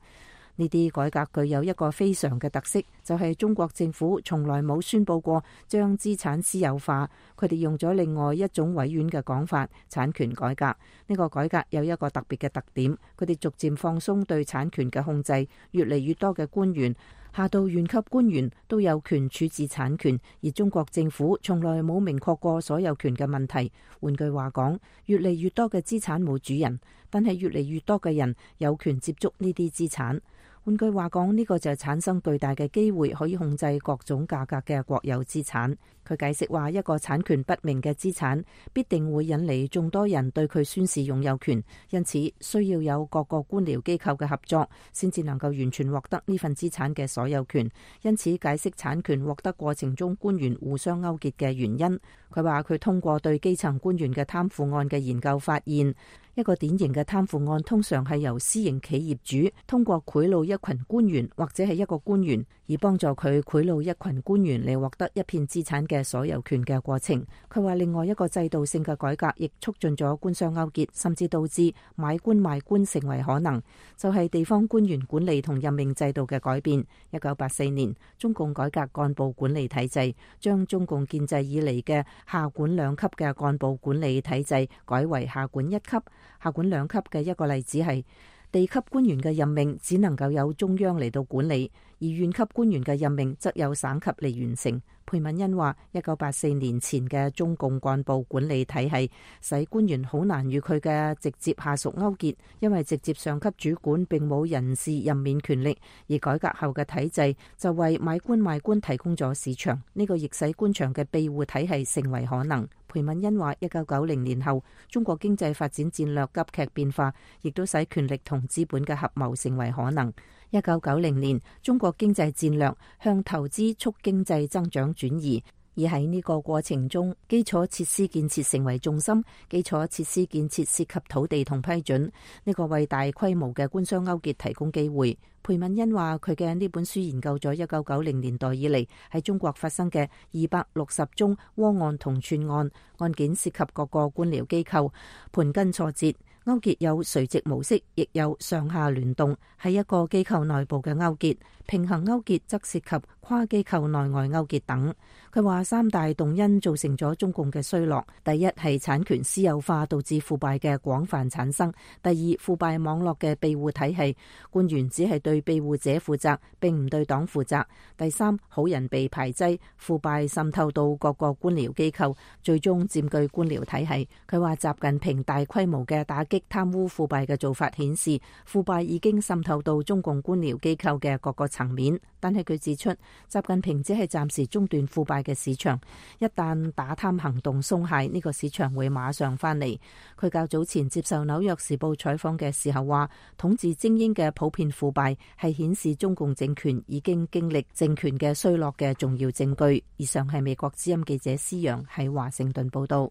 呢啲改革具有一個非常嘅特色，就係中國政府從來冇宣佈過將資產私有化。佢哋用咗另外一種委婉嘅講法，產權改革。呢個改革有一個特別嘅特點，佢哋逐漸放鬆對產權嘅控制，越嚟越多嘅官員，下到縣級官員都有權處置產權，而中國政府從來冇明確過所有權嘅問題。換句話講，越嚟越多嘅資產冇主人，但係越嚟越多嘅人有權接觸呢啲資產。換句話講，呢個就產生巨大嘅機會，可以控制各種價格嘅國有資產。佢解釋話，一個產權不明嘅資產必定會引嚟眾多人對佢宣示擁有權，因此需要有各個官僚機構嘅合作，先至能夠完全獲得呢份資產嘅所有權。因此解釋產權獲得過程中官員互相勾結嘅原因。佢話佢通過對基層官員嘅貪腐案嘅研究發現，一個典型嘅貪腐案通常係由私營企業主通過賄賂一群官員或者係一個官員，而幫助佢賄賂一群官員嚟獲得一片資產嘅所有權嘅過程。佢話另外一個制度性嘅改革亦促進咗官商勾結，甚至導致買官賣官成為可能，就係地方官員管理同任命制度嘅改變。1984年，中共改革幹部管理體制，將中共建制以嚟嘅下管兩級嘅幹部管理體制改為下管一級。下管兩級嘅一個例子係地級官員嘅任命只能夠有中央嚟到管理，而縣級官員嘅任命則有省級嚟完成。裴敏恩話，1984年前嘅中共幹部管理體系使官員好難與佢嘅直接下屬勾結，因為直接上級主管並冇人事任免權力，而改革後嘅體制就為買官賣官提供咗市場，呢個亦使官場嘅庇護體系成為可能。裴敏恩話，1990年後，中國經濟發展戰略急劇變化，亦都使權力同資本嘅合謀成為可能。1990年，中國經濟戰略向投資促經濟增長轉移，而喺呢個過程中，基礎設施建設成為重心。基礎設施建設涉及土地同批准，呢個為大規模嘅官商勾結提供機會。裴敏恩話，佢嘅呢本書研究咗1990年代以嚟喺中國發生嘅260宗窩案同串案，案件涉及各個官僚機構，盤根錯節。勾結有垂直模式，亦有上下聯動，係一個機構內部嘅勾結。平衡勾結則涉及跨機構內外勾結等。佢話三大動因造成咗中共嘅衰落：第一係產權私有化導致腐敗嘅廣泛產生；第二，腐敗網絡嘅庇護體系，官員只係對庇護者負責，並唔對黨負責；第三，好人被排擠，腐敗滲透到各個官僚機構，最終佔據官僚體系。佢話習近平大規模嘅打擊貪污腐敗嘅做法顯示，腐敗已經滲透到中共官僚機構嘅各個層面。但係佢指出，習近平只係暫時中斷腐敗嘅市場，一旦打貪行動鬆懈，呢個市場會馬上翻嚟。佢較早前接受紐約時報採訪嘅時候話，統治精英嘅普遍腐敗係顯示中共政權已經經歷政權嘅衰落嘅重要證據。以上係美國之音記者施洋喺華盛頓報道。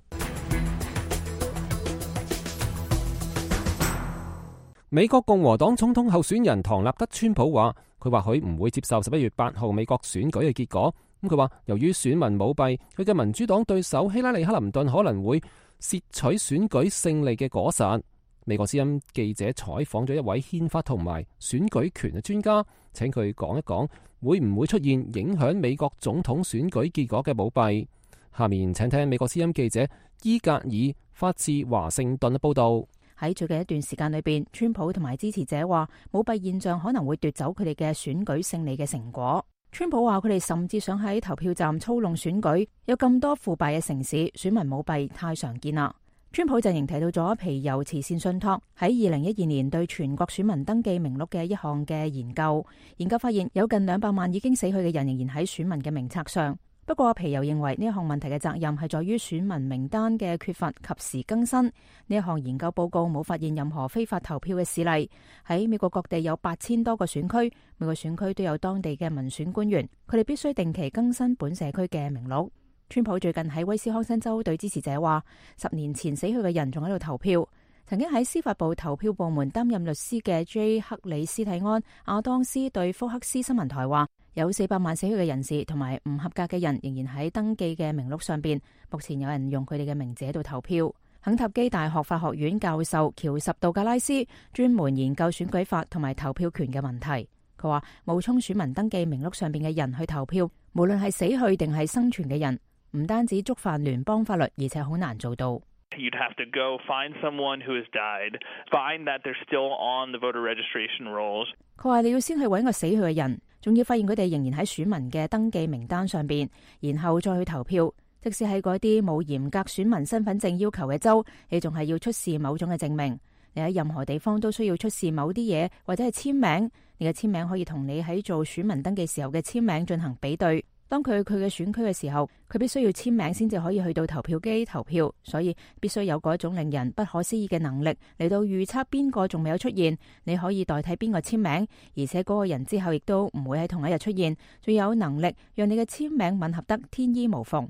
美國共和黨總統候選人唐納德·川普話，佢或許唔會接受11月8號美國選舉嘅結果。佢話由於選民舞弊，佢嘅民主黨對手希拉里·克林頓可能會竊取選舉勝利嘅果實。美國之音記者採訪咗一位憲法同埋選舉權嘅專家，請佢講一講會唔會出現影響美國總統選舉結果嘅舞弊。下面請聽美國之音記者伊格爾發自華盛頓嘅報道。喺最近一段時間裏邊，川普同埋支持者話舞弊現象可能會奪走佢哋嘅選舉勝利嘅成果。川普話佢哋甚至想喺投票站操弄選舉，有咁多腐敗嘅城市，選民舞弊太常見啦。川普陣營提到咗皮尤慈善信託喺2012年對全國選民登記名錄嘅一項嘅研究，研究發現有近200萬已經死去嘅人仍然喺選民嘅名冊上。不過皮尤認為呢一項問題嘅責任係在於選民名單嘅缺乏及時更新。呢一項研究報告冇發現任何非法投票嘅事例。喺美國各地有8000多個選區，每個選區都有當地嘅民選官員，佢哋必須定期更新本社區嘅名錄。川普最近喺威斯康辛州對支持者話，10年前死去嘅人仲喺度投票。曾經喺司法部投票部門擔任律師嘅 J. 克里斯蒂安亞當斯對福克斯新聞台話，有400萬死去嘅人士同埋唔合格嘅人仍然喺登記嘅名錄上邊。目前有人用佢哋嘅名字喺度投票。肯塔基大學法學院教授喬什杜格拉斯專門研究選舉法同埋投票權嘅問題。佢話冒充選民登記名錄上邊嘅人去投票，無論係死去定係生存嘅人，唔單止觸犯聯邦法律，而且好難做到。You'd have to go find someone who has died, find that they're still on the voter registration rolls. 佢話你要先去揾個死去嘅人，仲要發現佢哋仍然喺選民嘅登記名單上邊，然後再去投票。即使喺嗰啲冇嚴格選民身份證要求嘅州，你仲係要出示某種嘅證明。你喺任何地方都需要出示某啲嘢，或者係簽名。你嘅簽名可以同你喺做選民登記時候嘅簽名進行比對。當佢嘅選區嘅時候，佢必須要簽名先至可以去到投票機投票，所以必須有嗰一種令人不可思議嘅能力嚟到預測邊個仲未有出現，你可以代替邊個簽名，而且嗰個人之後亦都唔會喺同一日出現，仲有能力讓你嘅簽名吻合得天衣無縫。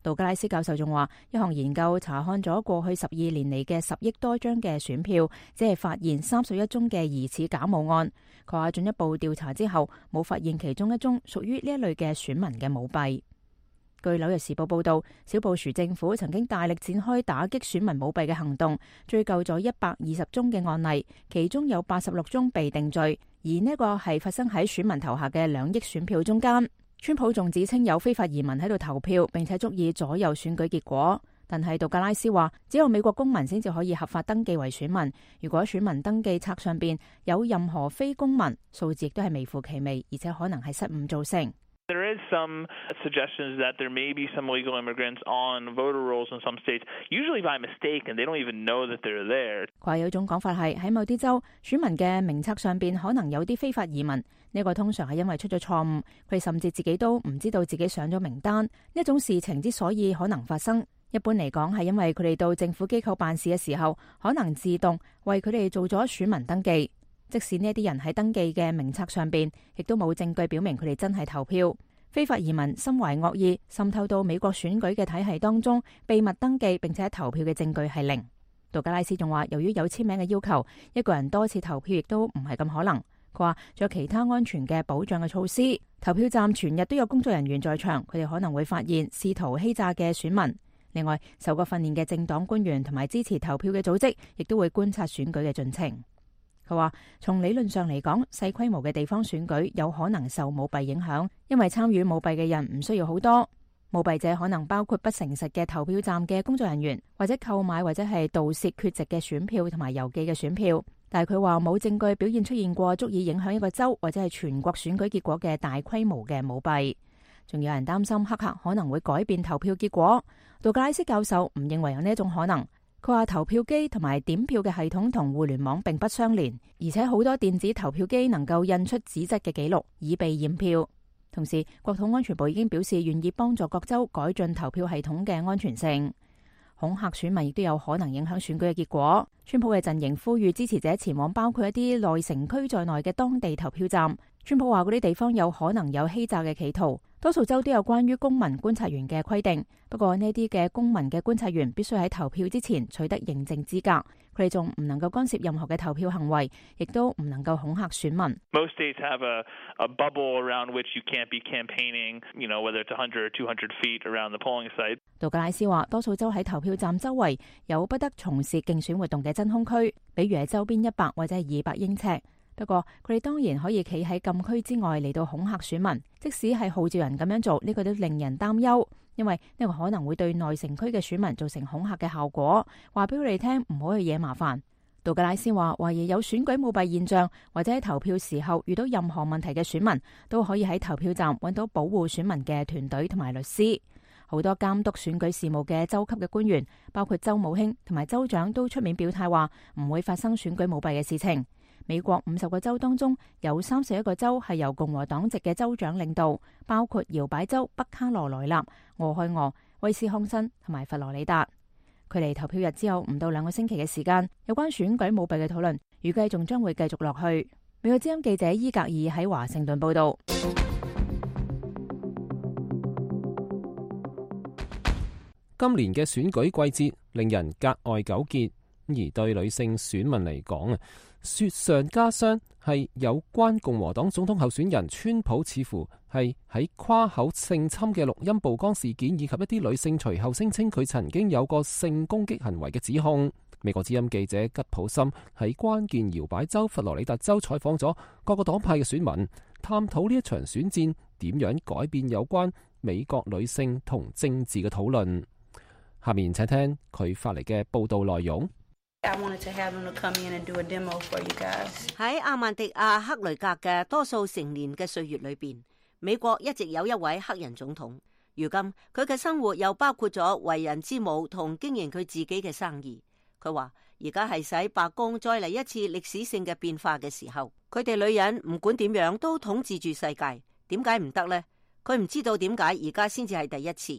杜格拉斯教授仲話，一項研究查看咗過去12年嚟嘅10億多張嘅選票，只係發現31宗嘅疑似假冒案。佢話進一步調查之後，冇發現其中一宗屬於呢一類嘅選民嘅舞弊。據紐約時報報道，小布殊政府曾經大力展開打擊選民舞弊嘅行動，追究咗120宗嘅案例，其中有86宗被定罪，而呢個係發生喺選民投下嘅2億選票中間。川普仲指稱有非法移民喺度投票，並且足以左右選舉結果。但係杜格拉斯話，只有美國公民先至可以合法登記為選民。如果選民登記冊上邊有任何非公民，數字亦都係微乎其微，而且可能係失誤造成。There is some suggestions that there may be some illegal immigrants on voter rolls in some states, usually by mistake, and they don't even know that they're there. 佢話有種講法係喺某啲州選民嘅名冊上邊可能有啲非法移民，呢個通常係因為出咗錯誤，佢哋甚至自己都唔知道自己上咗名單。呢種事情之所以可能發生，一般嚟講係因為佢哋到政府機構辦事嘅時候，可能自動為佢哋做咗選民登記。即使呢啲人喺登記嘅名冊上邊，亦都冇證據表明佢哋真係投票。非法移民心懷惡意，滲透到美國選舉嘅體系當中，秘密登記並且投票嘅證據係零。杜格拉斯仲話，由於有簽名嘅要求，一個人多次投票亦都唔係咁可能。佢話仲有其他安全嘅保障嘅措施，投票站全日都有工作人員在場，佢哋可能會發現試圖欺詐嘅選民。另外，受過訓練嘅政黨官員同埋支持投票嘅組織，亦都會觀察選舉嘅進程。佢話從理論上嚟講，細規模嘅地方選舉有可能受舞弊影響，因為參與舞弊嘅人唔需要好多。舞弊者可能包括不誠實嘅投票站嘅工作人員，或者購買或者係盜竊缺席嘅選票同埋郵寄嘅選票。但係佢話冇證據表現出現過足以影響一個州或者係全國選舉結果嘅大規模嘅舞弊。仲有人擔心黑客可能會改變投票結果。杜格拉斯教授唔認為有呢一種可能。佢話投票機同埋點票嘅系統同互聯網並不相連，而且好多電子投票機能夠印出紙質嘅記錄以備驗票。同時，國土安全部已經表示願意幫助各州改進投票系統嘅安全性。恐嚇選民亦都有可能影響選舉嘅結果。川普嘅陣營呼籲支持者前往包括一啲內城區在內嘅當地投票站。川普話嗰啲地方有可能有欺詐嘅企圖。多數州都有關於公民觀察員嘅規定，不過呢啲嘅公民嘅觀察員必須喺投票之前取得認證資格，佢哋仲唔能夠干涉任何嘅投票行為，亦都唔能夠恐嚇選民。Most states have a bubble around which you can't be campaigning, whether it's 100 or 200 feet around the polling site. 杜格拉斯話，多數州喺投票站周圍有不得從事競選活動嘅真空區，比如係周邊100或者係200英尺。不過佢哋當然可以企喺禁區之外嚟到恐嚇選民，即使係號召人咁樣做，呢個都令人擔憂，因為呢個可能會對內城區嘅選民造成恐嚇嘅效果，話俾佢哋聽唔好去惹麻煩。杜格拉斯話，懷疑有選舉舞弊現象或者喺投票時候遇到任何問題嘅選民，都可以喺投票站揾到保護選民嘅團隊同埋律師。好多監督選舉事務嘅州級嘅官員，包括州務卿同埋州長，都出面表態話唔會發生選舉舞弊嘅事情。美國50個州當中有31個州係由共和黨籍嘅州長領導，包括搖擺州北卡羅來納、俄亥俄、威斯康辛同埋佛羅里達。距離投票日之後唔到2個星期嘅時間，有關選舉舞弊嘅討論預計仲將會繼續落去。美國之音記者伊格爾喺華盛頓報道。今年嘅選舉季節令人格外糾結，而對女性選民嚟講啊，雪上加霜係有關共和黨總統候選人川普似乎係喺誇口性侵嘅錄音曝光事件，以及一啲女性隨後聲稱佢曾經有過性攻擊行為嘅指控。美國之音記者吉普森喺關鍵搖擺州佛羅里達州採訪咗各個黨派嘅選民，探討呢一場選戰點樣改變有關美國女性同政治嘅討論。下面請聽佢發嚟嘅報道內容。喺阿曼迪亞克雷格嘅多數成年嘅歲月裏邊，美國一直有一位黑人總統。如今佢嘅生活又包括咗為人之母同經營佢自己嘅生意。佢話而家係使白宮再嚟一次歷史性嘅變化嘅時候，佢哋女人唔管點樣都統治住世界，點解唔得呢？佢唔知道點解而家先至係第一次。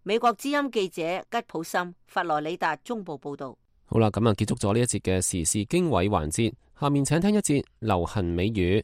美國之音記者吉普森佛羅里達中部報道。好啦，咁啊結束咗呢一節嘅時事經緯環節，下面請聽一節流行美語。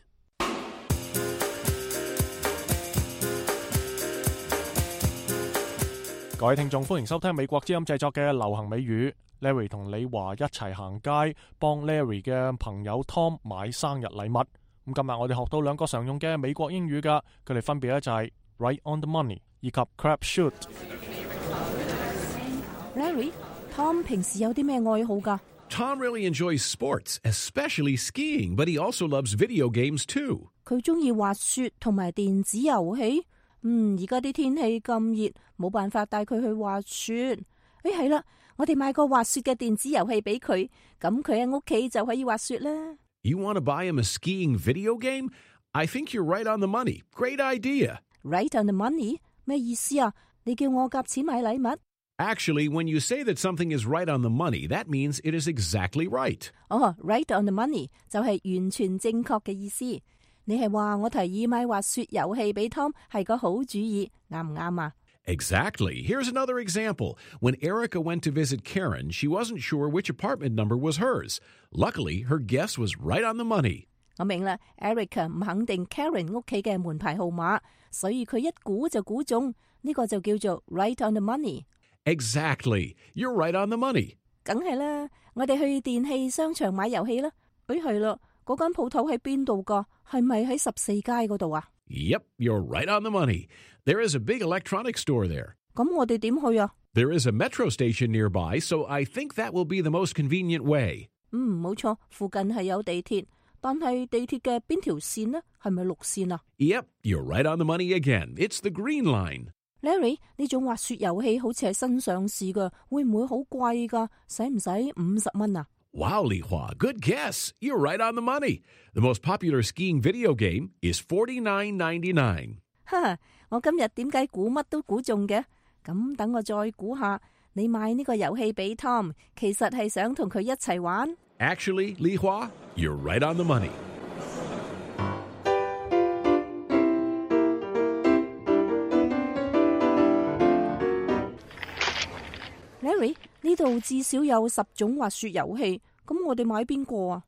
各位聽眾，歡迎收聽美國之音製作嘅流行美語。Larry 同李華一齊行街，幫 Larry 嘅朋友 Tom 買生日禮物。咁今日我哋學到兩個常用嘅美國英語噶，佢哋分別咧就係 right on the money 以及 crap shoot。Larry，Tom 平時有啲咩愛好噶？ Tom really enjoys sports, especially skiing, but he also loves video games too. 佢中意滑雪同埋電子遊戲。而家啲天氣咁熱，冇辦法帶佢去滑雪。係啦，我哋買個滑雪嘅電子遊戲俾佢，咁佢喺屋企就可以滑雪啦。You want to buy him a skiing video game? I think you're right on the money. Great idea. Right on the money? 咩意思啊？你叫我夾錢買禮物？ Actually, when you say that something is right on the money, that means it is exactly right. Right on the money 就係完全正確嘅意思。你係話我提議買滑雪遊戲俾 Tom 係個好主意，啱唔啱啊？ Exactly. Here's another example. When Erica went to visit Karen, she wasn't sure which apartment number was hers. Luckily, her guess was right on the money. 我明啦 ，Erica 唔肯定 Karen 屋企嘅門牌號碼，所以佢一估就估中，呢個就叫做 right on the money. Exactly. You're right on the money. 梗係啦，我哋去電器商場買遊戲啦。係啦，嗰間鋪頭喺邊度㗎？係咪喺14街嗰度啊？ Yep, you're right on the money. There is a big electronics store there. 咁我哋點去啊？ There is a metro station nearby, so I think that will be the most convenient way. 冇錯，附近係有地鐵，但係地鐵嘅邊條線呢？係咪綠線啊？ Yep, you're right on the money again. It's the green line.Larry， 呢種滑雪遊戲好似係新上市㗎，會唔會好貴㗎？使唔使50蚊啊？ Wow, Li Hua, good guess. You're right on the money. The most popular skiing video game is $49.99. 我今日點解估乜都估中嘅？咁等我再估下，你買呢個遊戲俾 Tom， 其實係想同佢一齊玩。 Actually, Li Hua, you're right on the money.Larry， 呢度至少有10種滑雪遊戲，咁我哋買邊個啊？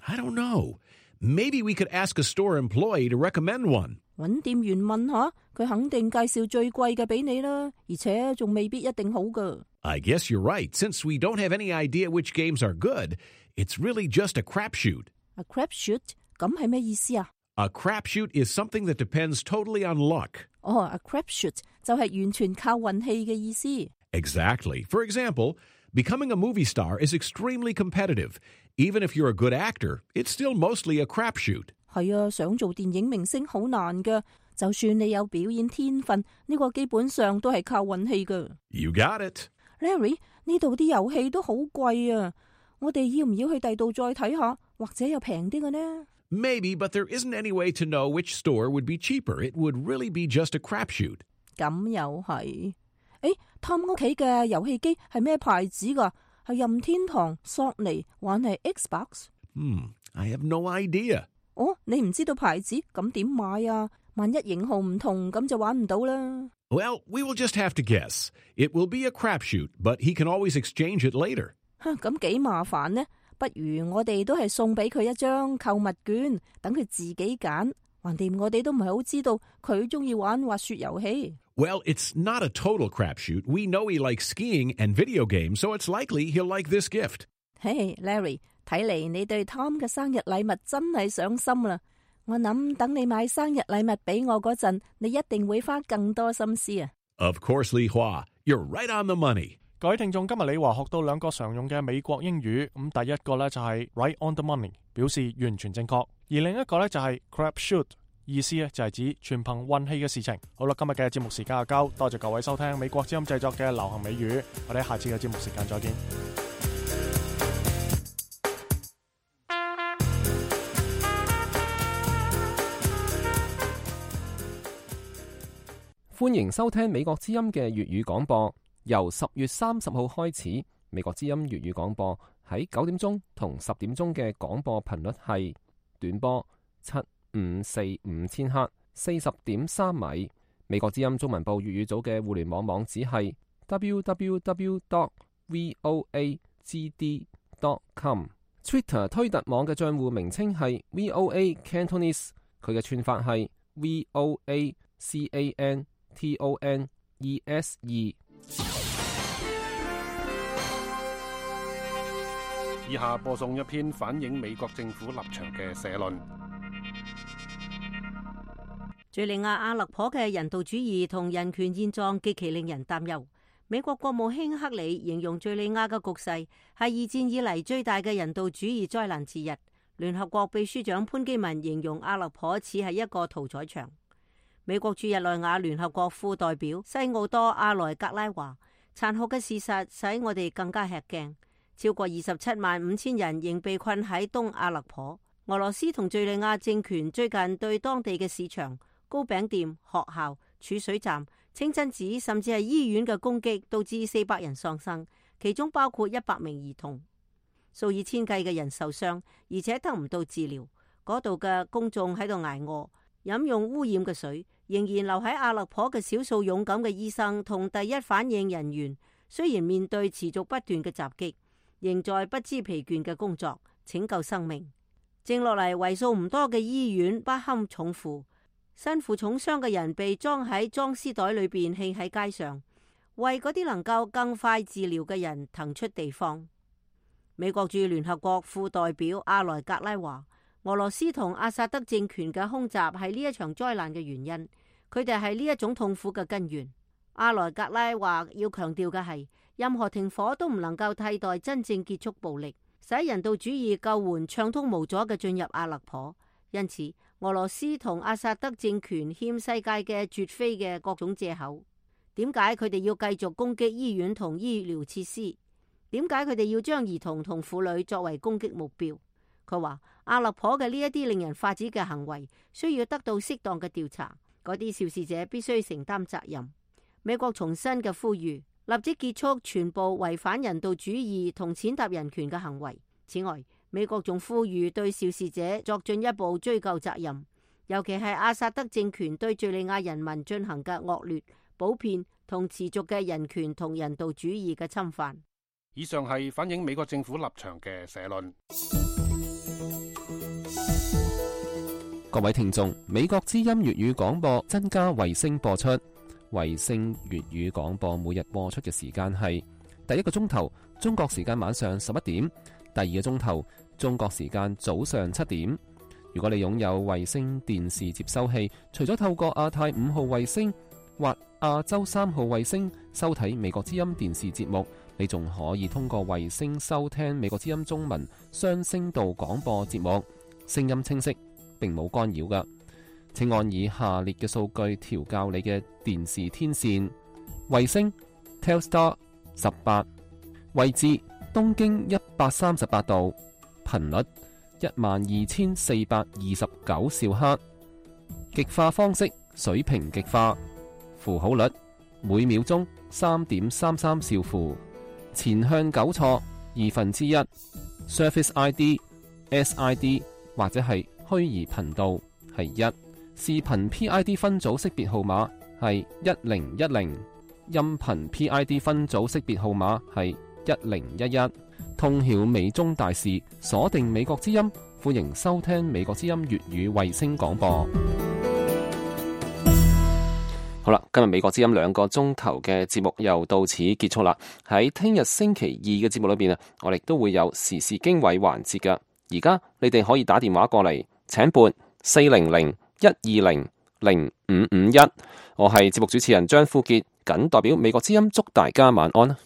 I don't know. Maybe we could ask a store employee to recommend one. 搵店員問下，佢肯定介紹最貴嘅俾你啦，而且仲未必一定好㗎。 I guess you're right. Since we don't have any idea which games are good, it's really just a crapshoot. A crapshoot？ 咁係咩意思啊？ A crapshoot is something that depends totally on luck. A crapshoot 就係完全靠運氣嘅意思。Exactly. For example, becoming a movie star is extremely competitive. Even if you're a good actor, it's still mostly a crapshoot. 係啊，想做電影明星好難㗎。就算你有表演天分，呢個基本上都係靠運氣㗎。You got it. Larry， 呢度啲遊戲都好貴啊！我哋要唔要去第度再睇下，或者有平啲嘅呢？ Maybe, but there isn't any way to know which store would be cheaper. It would really be just a crapshoot. 咁又係。Tom 屋企嘅遊戲機係咩牌子㗎？係任天堂、索尼，還係 Xbox？ I have no idea. 你唔知道牌子，咁點買啊？萬一型號唔同，咁就玩唔到啦。Well, we will just have to guess. It will be a crapshoot, but he can always exchange it later. 咁幾麻煩呢？不如我哋都係送俾佢一張購物券，等佢自己揀。橫掂我哋都唔係好知道佢中意玩滑雪遊戲。Well, it's not a total crapshoot. We know he likes skiing and video games, so it's likely he'll like this gift. Hey, Larry, 睇嚟你對 Tom 嘅生日禮物真係上心啦。我諗等你買生日禮物俾我嗰陣，你一定會花更多心思啊。Of course, Li Hua, you're right on the money. 各位聽眾，今日李華學到兩個常用嘅美國英語，咁第一個呢就係 right on the money， 表示完全正確，而另一個呢就係 crapshoot， 意思呢就係指全憑運氣嘅事情。好啦，今日嘅節目時間就夠，多謝各位收聽美國之音製作嘅流行美語，我哋下次嘅節目時間再見。歡迎收聽美國之音嘅粵語廣播。由10月30號開始，美國之音粵語廣播喺9點鐘同10點鐘嘅廣播頻率係短波7545000赫， 40.3米。美國之音中文部粵語組嘅互聯網網址係 www.voagd.com。Twitter 推特網嘅賬戶名稱係 VOA Cantonese， 佢嘅串法係 VOACANTONESE。以下播送一篇反映美國政府立場嘅社論。敘利亞阿勒頗嘅人道主義同人權現狀極其令人擔憂。美國國務卿克里形容敘利亞嘅局勢係二戰以嚟最大嘅人道主義災難之一。聯合國秘書長潘基文形容阿勒頗似係一個屠宰場。美國駐日內瓦聯合國副代表西奧多阿萊格拉話：殘酷嘅事實使我哋更加吃驚。超過275000人仍被困喺東阿勒頗。俄羅斯同敘利亞政權最近對當地嘅市場、糕餅店、學校、儲水站、清真寺甚至係醫院嘅攻擊，導致400人喪生，其中包括100名兒童。數以千計嘅人受傷，而且得唔到治療。嗰度嘅公眾喺度挨餓，飲用污染嘅水。仍然留喺阿勒頗嘅少數勇敢嘅醫生同第一反應人員，雖然面對持續不斷嘅襲擊，仍在不知疲倦嘅工作，拯救生命。剩落嚟為數唔多嘅醫院不堪重負，身負重傷嘅人被裝喺裝屍袋裏邊棄喺街上，為嗰啲能夠更快治療嘅人騰出地方。美國駐聯合國副代表阿萊格拉話：俄羅斯同阿薩德政權嘅空襲係呢一場災難嘅原因，佢哋係呢一種痛苦嘅根源。阿萊格拉話要強調嘅係，任何停火都唔能夠替代真正結束暴力，使人道主義救援暢通無阻嘅進入阿勒頗。因此，俄羅斯同阿薩德政權欠世界嘅絕非嘅各種借口。點解佢哋要繼續攻擊醫院同醫療設施？點解佢哋要將兒童同婦女作為攻擊目標？佢話阿勒頗嘅呢一啲令人髮指嘅行為需要得到適當嘅調查，嗰啲肇事者必須承擔責任。美國重新嘅呼籲，立即結束全部違反人道主義同踐踏人權嘅行為。此外，美國仲呼籲對肇事者作進一步追究責任，尤其係阿薩德政權對敘利亞人民進行嘅惡劣、普遍同持續嘅人權同人道主義嘅侵犯。以上係反映美國政府立場嘅社論。各位聽眾，美國之音粵語廣播增加衛星播出。衛星粵語廣播每日播出嘅時間係第一個鐘頭中國時間晚上11點，第二個鐘頭中國時間早上7點。如果你擁有衛星電視接收器，除咗透過亞太5號衛星或亞洲3號衛星收睇美國之音電視節目，你仲可以通過衛星收聽美國之音中文雙聲道廣播節目，聲音清晰，並冇干擾㗎。請按以下列嘅數據調校你嘅電視天線：衛星 Telstar 18，位置東經138度，頻率12429兆赫，極化方式水平極化，符號率每秒鐘3.33兆符，前向糾錯1/2， Surface ID SID 或者係虛擬頻道係1，視頻 PID 分組識別號碼係1010，音頻 PID 分組識別號碼係1011。通曉美中大事，鎖定美國之音，歡迎收聽美國之音粵語衛星廣播。好啦，今日美國之音2個鐘頭嘅節目又到此結束啦。喺聽日星期2嘅節目裏邊啊，我哋都會有時事經緯環節噶。而家你哋可以打電話過嚟，請撥400-120-0551。我係節目主持人張富傑，謹代表美國之音祝大家晚安。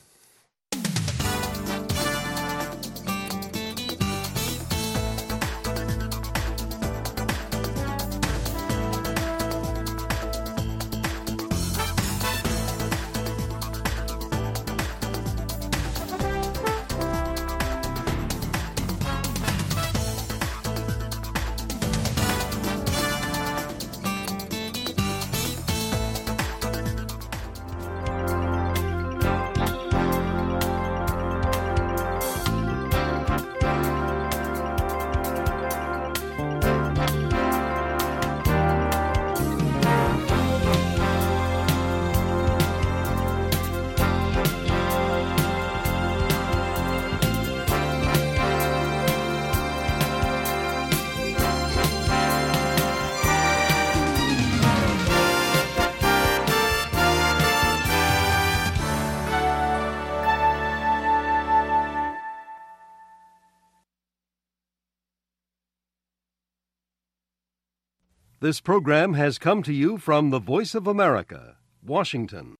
This program has come to you from the Voice of America, Washington.